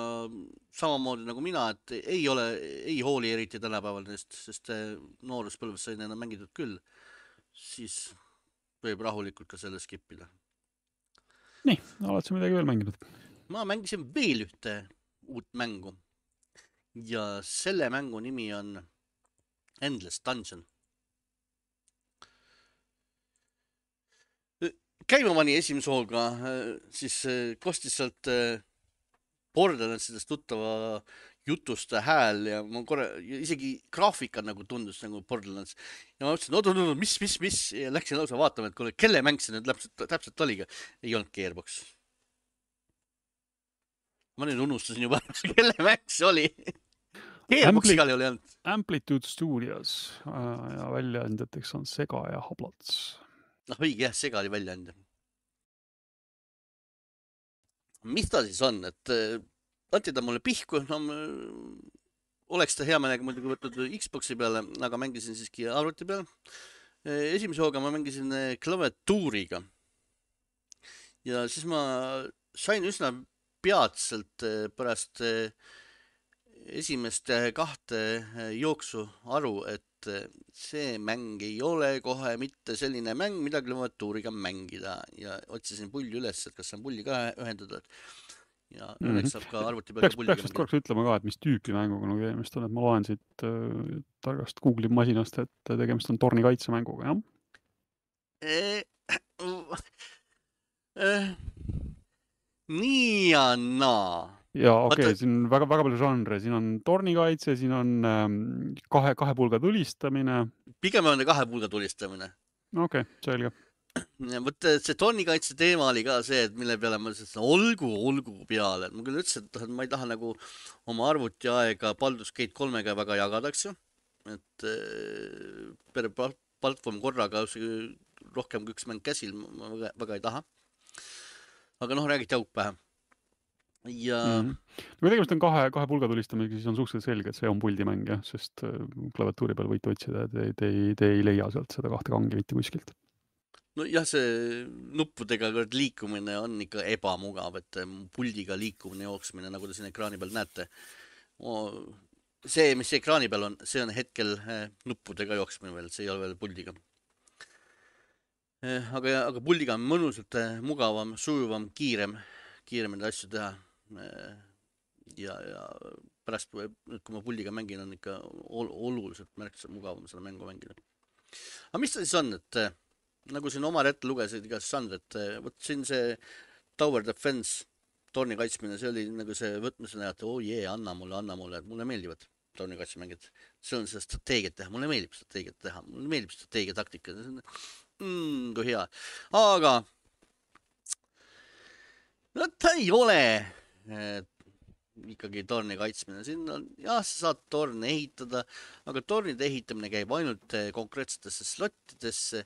samamoodi nagu mina, et ei ole, ei hooli eriti tänapäeval neist, sest nooruspõlves sai neina mängitud küll, siis võib rahulikult ka selle skippida. Nii, oled sa midagi veel mänginud? Ma mängisin veel ühte uut mängu ja selle mängu nimi on Endless Dungeon. Käima pani esimese hooga, siis kostis sealt Borderlandsidest tuttava jutuste hääl ja ma korra, isegi graafika nagu tundus nagu Borderlands. Ja ma mõtlesin, oot, oot, oot, mis, mis, mis, ja läksin lausa vaatama, et kuule, kelle mäng see nüüd täpselt, täpselt oliga. Ei olnud Gearbox. Ma nüüd unustasin juba, kelle mäng see oli. Gearbox Ampli- igal juhul ei olnud. Amplitude Studios äh, ja väljaandjateks on Sega ja Hablats. Noh, õige jah, Sega oli väljaandja. Mis ta siis on, et anti ta mulle pihku, no oleks ta hea meelega muidugi võtnud Xboxi peale, aga mängisin siiski arvuti peale. Esimese hooga ma mängisin klaviatuuriga. Ja siis ma sain üsna peatselt pärast esimest kahte jooksu aru, et see mäng ei ole kohe mitte selline mäng, mida klaviatuuriga mängida. Ja otsisin pulli üles, et kas saan pulli ka ühendada. Ja õnneks saab ka arvuti peal peaks, peaks vist korraks ütlema ka, et mis tüüpi mänguga nagu tegemist on, et ma loen siit äh, targast Google'i masinast, et tegemist on torni kaitsemänguga, jah? Eh, eh, nii ja naa. Ja okei, okay, siin on väga, väga palju žanre, siin on tornikaitse, siin on ähm, kahe, kahe pulga tulistamine. Pigem on kahe pulga tulistamine. Okei, okay, selge. Võt see tornikaitse teema oli ka see, et mille peale ma ütlesin, olgu, olgu peale. Ma küll ütlesin, et ma ei taha nagu oma arvuti aega Baldur's Gate kolmega väga jagadaks ju. Et per platvorm korraga rohkem kui üks mäng käsil ma väga, väga ei taha. Aga noh, räägiti auk pähe. Ja... Mm -hmm. Kui tegemist on kahe, kahe pulga tulistamisega, siis on suhteliselt selge, et see on puldimäng, jah, sest klaviatuuri peal võite otsida, et te, te, te ei leia sealt seda kahte kangi mitte kuskilt. No jah, see nuppudega liikumine on ikka ebamugav, et puldiga liikumine, jooksmine, nagu te siin ekraani peal näete. See, mis ekraani peal on, see on hetkel nuppudega jooksmine veel, see ei ole veel puldiga. Aga, aga puldiga on mõnusalt mugavam, sujuvam, kiirem, kiirem neid asju teha. Ja, ja pärast, kui ma puldiga mängin, on ikka oluliselt märksa mugavam seda mängu mängida. Aga mis ta siis on, et nagu siin oma ette lugesid igas žanr, et võt siin see Tower Defense, torni kaitsmine, see oli nagu see võtmisena, et oo oh, jee, yeah, anna mulle, anna mulle, et mulle meeldivad torni kaitsemängid. See on seda strateegiat teha, mulle meeldib strateegiat teha, mulle meeldib strateegia taktika. Mm, kui hea. Aga no ta ei ole et, ikkagi torni kaitsmine. Siin on, jah, sa saad torne ehitada, aga tornide ehitamine käib ainult konkreetsetesse slottidesse.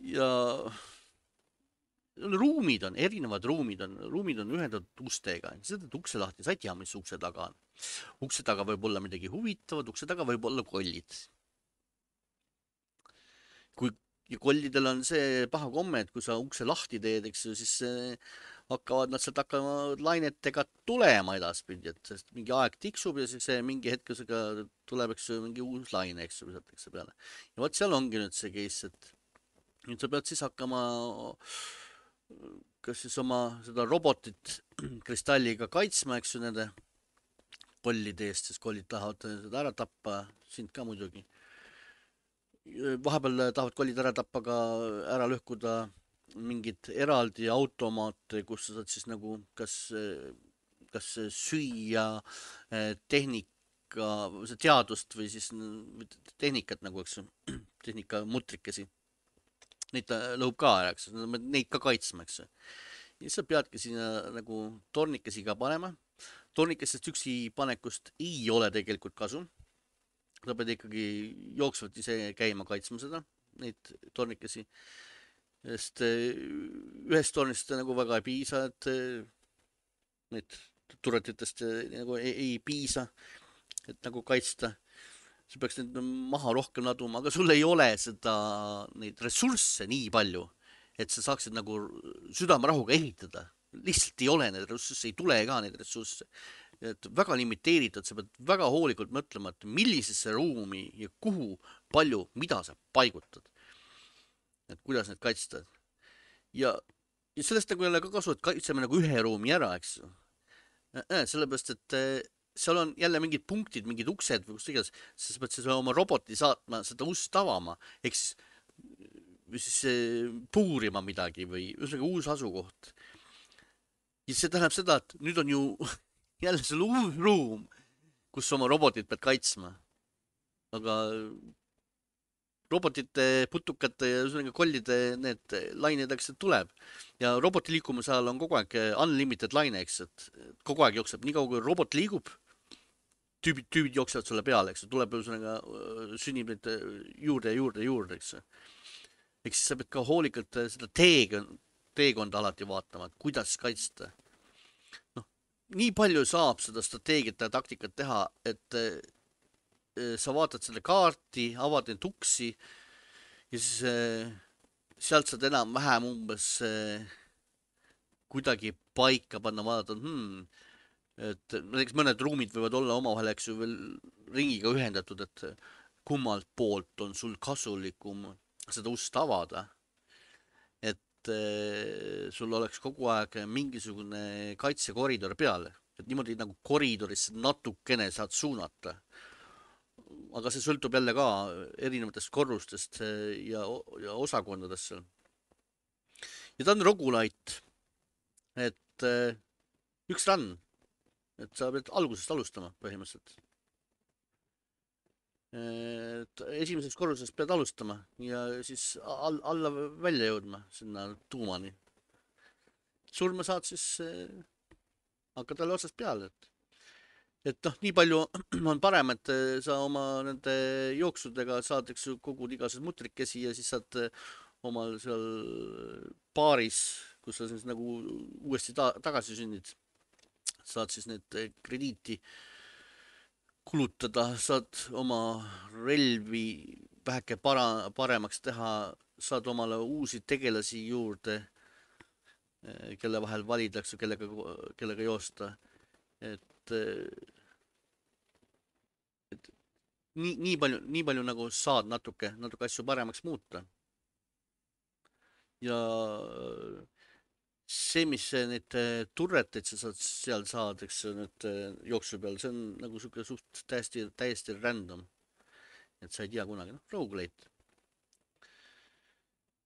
Ja ruumid on, erinevad ruumid on, ruumid on ühendatud ustega. Sa teed ukse lahti, sa ei tea, mis ukse taga on. Ukse taga võib olla midagi huvitavat, ukse taga võib olla kollid. Kui kollidel on see paha komme, et kui sa ukse lahti teed, eks ju, siis hakkavad nad sealt hakkama lainetega tulema edaspidi, et sest mingi aeg tiksub ja siis mingi hetkusega tuleb, eks ju, mingi uus laine, eks ju, visatakse peale. Ja võt seal ongi nüüd see case, et nüüd sa pead siis hakkama kas siis oma seda robotit kristalliga kaitsma, eks ju, nende kollide eest, siis kollid tahavad seda ära tappa, sind ka muidugi. Vahepeal tahavad kollid ära tappa ka ära lõhkuda mingid eraldi automaate, kus sa saad siis nagu kas, kas süüa tehnika, teadust või siis tehnikat nagu, eks ju, tehnika mutrikesi. Neid ta lõhub ka ära, eks ju, neid ka kaitsma, eks ju. Ja sa peadki sinna nagu tornikesi ka panema. Tornikestest üksi panekust ei ole tegelikult kasu. Sa pead ikkagi jooksvalt ise käima kaitsma seda, neid tornikesi. Sest ühest tornist nagu väga ei piisa, et neid turretitest nagu ei, ei piisa, et nagu kaitsta. Sa peaks neid maha rohkem laduma, aga sul ei ole seda, neid ressursse nii palju, et sa saaksid nagu südamerahuga ehitada. Lihtsalt ei ole neid ressursse, ei tule ka neid ressursse. Et väga limiteeritud, sa pead väga hoolikult mõtlema, et millisesse ruumi ja kuhu palju, mida sa paigutad. Et kuidas need kaitsta. Ja, ja sellest nagu ei ole ka kasu, et kaitseme nagu ühe ruumi ära, eks ju. Sellepärast, et seal on jälle mingid punktid, mingid uksed või kus iganes, sa pead siis oma roboti saatma seda ust avama, ehk siis, siis puurima midagi või ühesõnaga uus asukoht. Ja see tähendab seda, et nüüd on ju jälle sul uus ruum, kus oma robotit pead kaitsma. Aga robotite, putukate ja ühesõnaga kollide need lained, eks tuleb. Ja roboti liikumise ajal on kogu aeg unlimited laine, eks, et kogu aeg jookseb. Nii kaua kui robot liigub, tüübid, tüübid jooksevad sulle peale, eks, tuleb ühesõnaga sünnib neid juurde ja juurde ja juurde, eks. Eks siis sa pead ka hoolikalt seda teekonda, teekonda alati vaatama, et kuidas kaitsta. Noh, nii palju saab seda strateegiat ja taktikat teha, et sa vaatad selle kaarti, avad neid uksi ja siis äh, sealt saad enam-vähem umbes äh, kuidagi paika panna, vaadata, hmm, et näiteks mõned ruumid võivad olla omavahel, eks ju, veel ringiga ühendatud, et kummalt poolt on sul kasulikum seda ust avada, et äh, sul oleks kogu aeg mingisugune kaitsekoridor peal, et niimoodi nagu koridorisse natukene saad suunata. Aga see sõltub jälle ka erinevatest korrustest ja, ja osakondadest seal. Ja ta on roguelite, et üks run, et sa pead algusest alustama põhimõtteliselt. Et esimesest korrusest pead alustama ja siis all, alla välja jõudma sinna tuumani. Surma saad siis hakka talle otsast peale, et et noh, nii palju on parem, et sa oma nende jooksudega saad, eks ju, kogud igasugused mutrikesi ja siis saad omal seal baaris, kus sa siis nagu uuesti ta tagasi sünnid, saad siis need krediiti kulutada, saad oma relvi väheke para paremaks teha, saad omale uusi tegelasi juurde, kelle vahel valitakse, kellega, kellega joosta. Et, et nii, nii palju, nii palju nagu saad natuke, natuke asju paremaks muuta. Ja see, mis need turreteid sa saad seal saad, eks need jooksu peal, see on nagu suke suht täiesti, täiesti random. Et sa ei tea kunagi, noh, roguelite.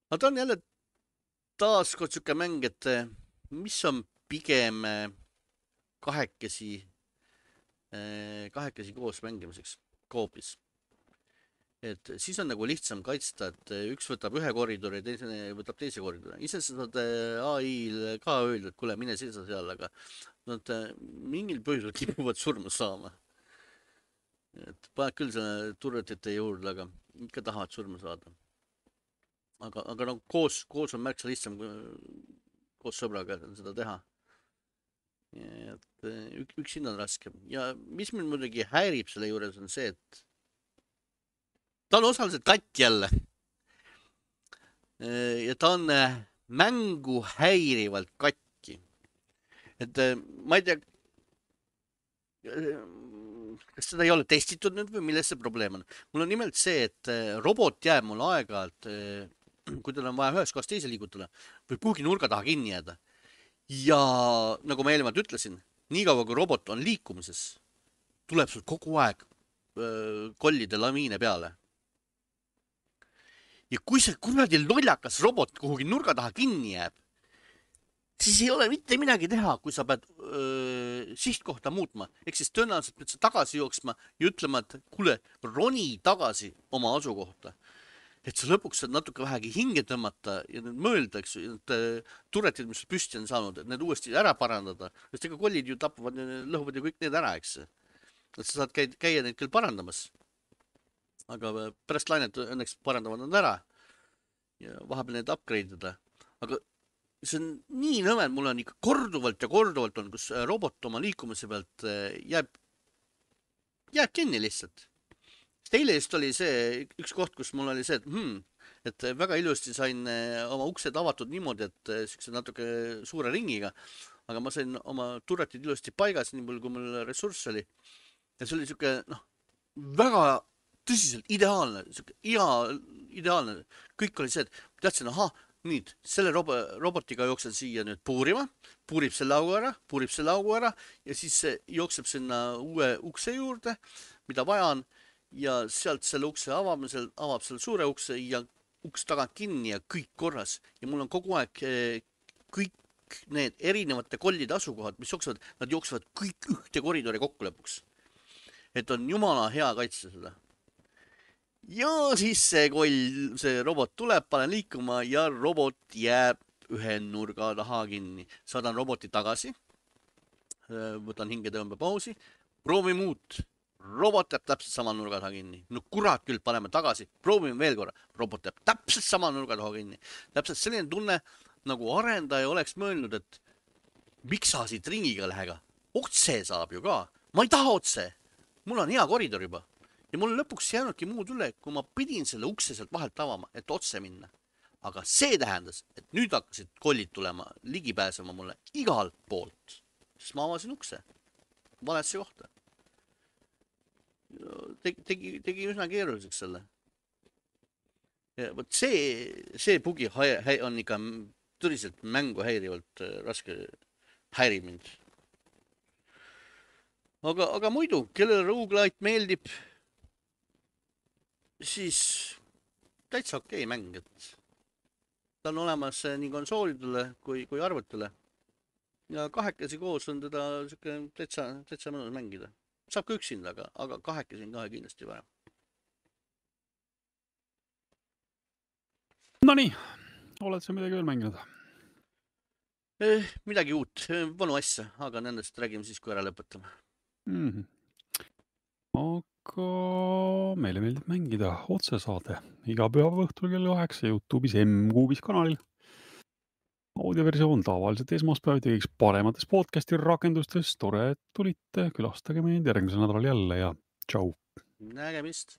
Aga ta on jälle taaskord suke mäng, et mis on pigem kahekesi, kahekesi koos mängimiseks, koopis. Et siis on nagu lihtsam kaitsta, et üks võtab ühe koridori ja teise võtab teise koridori. Ise sa saad A I-l ka öelda, et kuule, mine seisa seal, aga nad mingil põhjusel kipuvad surma saama. Et paned küll selle turretite juurde, aga ikka tahavad surma saada. Aga, aga no koos, koos on märksa lihtsam koos sõbraga seda teha. Et ük, üksinda on raske. Ja mis mind muidugi häirib selle juures on see, et ta on osaliselt katt jälle. Ja ta on mängu häirivalt katki. Et ma ei tea, kas seda ei ole testitud nüüd või milles see probleem on. Mul on nimelt see, et robot jääb mul aeg-ajalt, kui tal on vaja ühest kohast teise liigutada, või kuhugi nurga taha kinni jääda. Ja nagu ma eelmalt ütlesin, nii kaua kui robot on liikumises, tuleb sul kogu aeg öö, kollide lamiine peale. Ja kui see kuradi lollakas robot kuhugi nurga taha kinni jääb, siis ei ole mitte midagi teha, kui sa pead öö, sihtkohta muutma. Ehk siis tõenäoliselt pead sa tagasi jooksma ja ütlema, et kuule, roni tagasi oma asukohta. Et sa lõpuks saad natuke vähegi hinge tõmmata ja need mõelda, eks ju, need turretid, mis püsti on saanud, et need uuesti ära parandada. Sest ega kollid ju tapavad, lõhuvad ju kõik need ära, eks. Et sa saad käia, käia neid küll parandamas. Aga pärast lainet õnneks parandavad nad ära ja vahepeal need upgrade ida. Aga see on nii nõme, mul on ikka korduvalt ja korduvalt on, kus robot oma liikumise pealt jääb, jääb kinni lihtsalt. Eile just oli see üks koht, kus mul oli see, et, hmm, et väga ilusti sain oma uksed avatud niimoodi, et siukse natuke suure ringiga, aga ma sain oma turretid ilusti paigas, nii palju kui mul ressurss oli. Ja see oli siuke, noh, väga tõsiselt ideaalne, siuke hea, ideaalne. Kõik oli see, et teadsin, aha, nüüd selle rob robotiga jooksen siia nüüd puurima, puurib selle augu ära, puurib selle augu ära ja siis jookseb sinna uue ukse juurde, mida vaja on. Ja sealt selle ukse avamisel avab selle suure ukse ja uks tagant kinni ja kõik korras. Ja mul on kogu aeg kõik need erinevate kollide asukohad, mis jooksevad, nad jooksevad kõik ühte koridori kokku lõpuks. et on jumala hea kaitsta seda. ja siis see koll, see robot tuleb, panen liikuma ja robot jääb ühe nurga taha kinni. Saadan roboti tagasi, võtan hingetõmbepausi, proovime uut. Robot jääb täpselt sama nurga taha kinni. No kurat küll, paneme tagasi, proovime veel korra. Robot jääb täpselt sama nurga taha kinni. Täpselt selline tunne, nagu arendaja oleks mõelnud, et miks sa siit ringiga lähega? Otse saab ju ka. Ma ei taha otse. Mul on hea koridor juba. Ja mul lõpuks jäänudki muud üle, kui ma pidin selle ukse sealt vahelt avama, et otse minna. Aga see tähendas, et nüüd hakkasid kollid tulema, ligi pääsema mulle igalt poolt. Siis ma avasin ukse. Valesse kohta. Tegi, tegi, tegi üsna keeruliseks selle. Ja võt see, see bugi on ikka tõriselt mängu häirivalt raske häirib mind. Aga, aga muidu, kellele roguelite meeldib, siis täitsa okei okay mäng, et ta on olemas nii konsoolidele kui, kui arvutile. Ja kahekesi koos on teda täitsa, täitsa mõnus mängida. Saab ka üksinda, aga, aga kahekesi on kahe kindlasti varem. No nii, oled sa midagi veel mänginud? Eh, midagi uut, vanu asja, aga nendest räägime siis, kui ära lõpetame. Mm-hmm. Aga meile meeldib mängida otsesaade iga pühapäeva õhtul kell kaheksa YouTube'is M-Kuubis kanalil. Audioversioon tavaliselt esmaspäeviti kõigiks paremates podcasti rakendustes. Tore, et tulite, külastage meid järgmisel nädalal jälle ja tšau. Nägemist.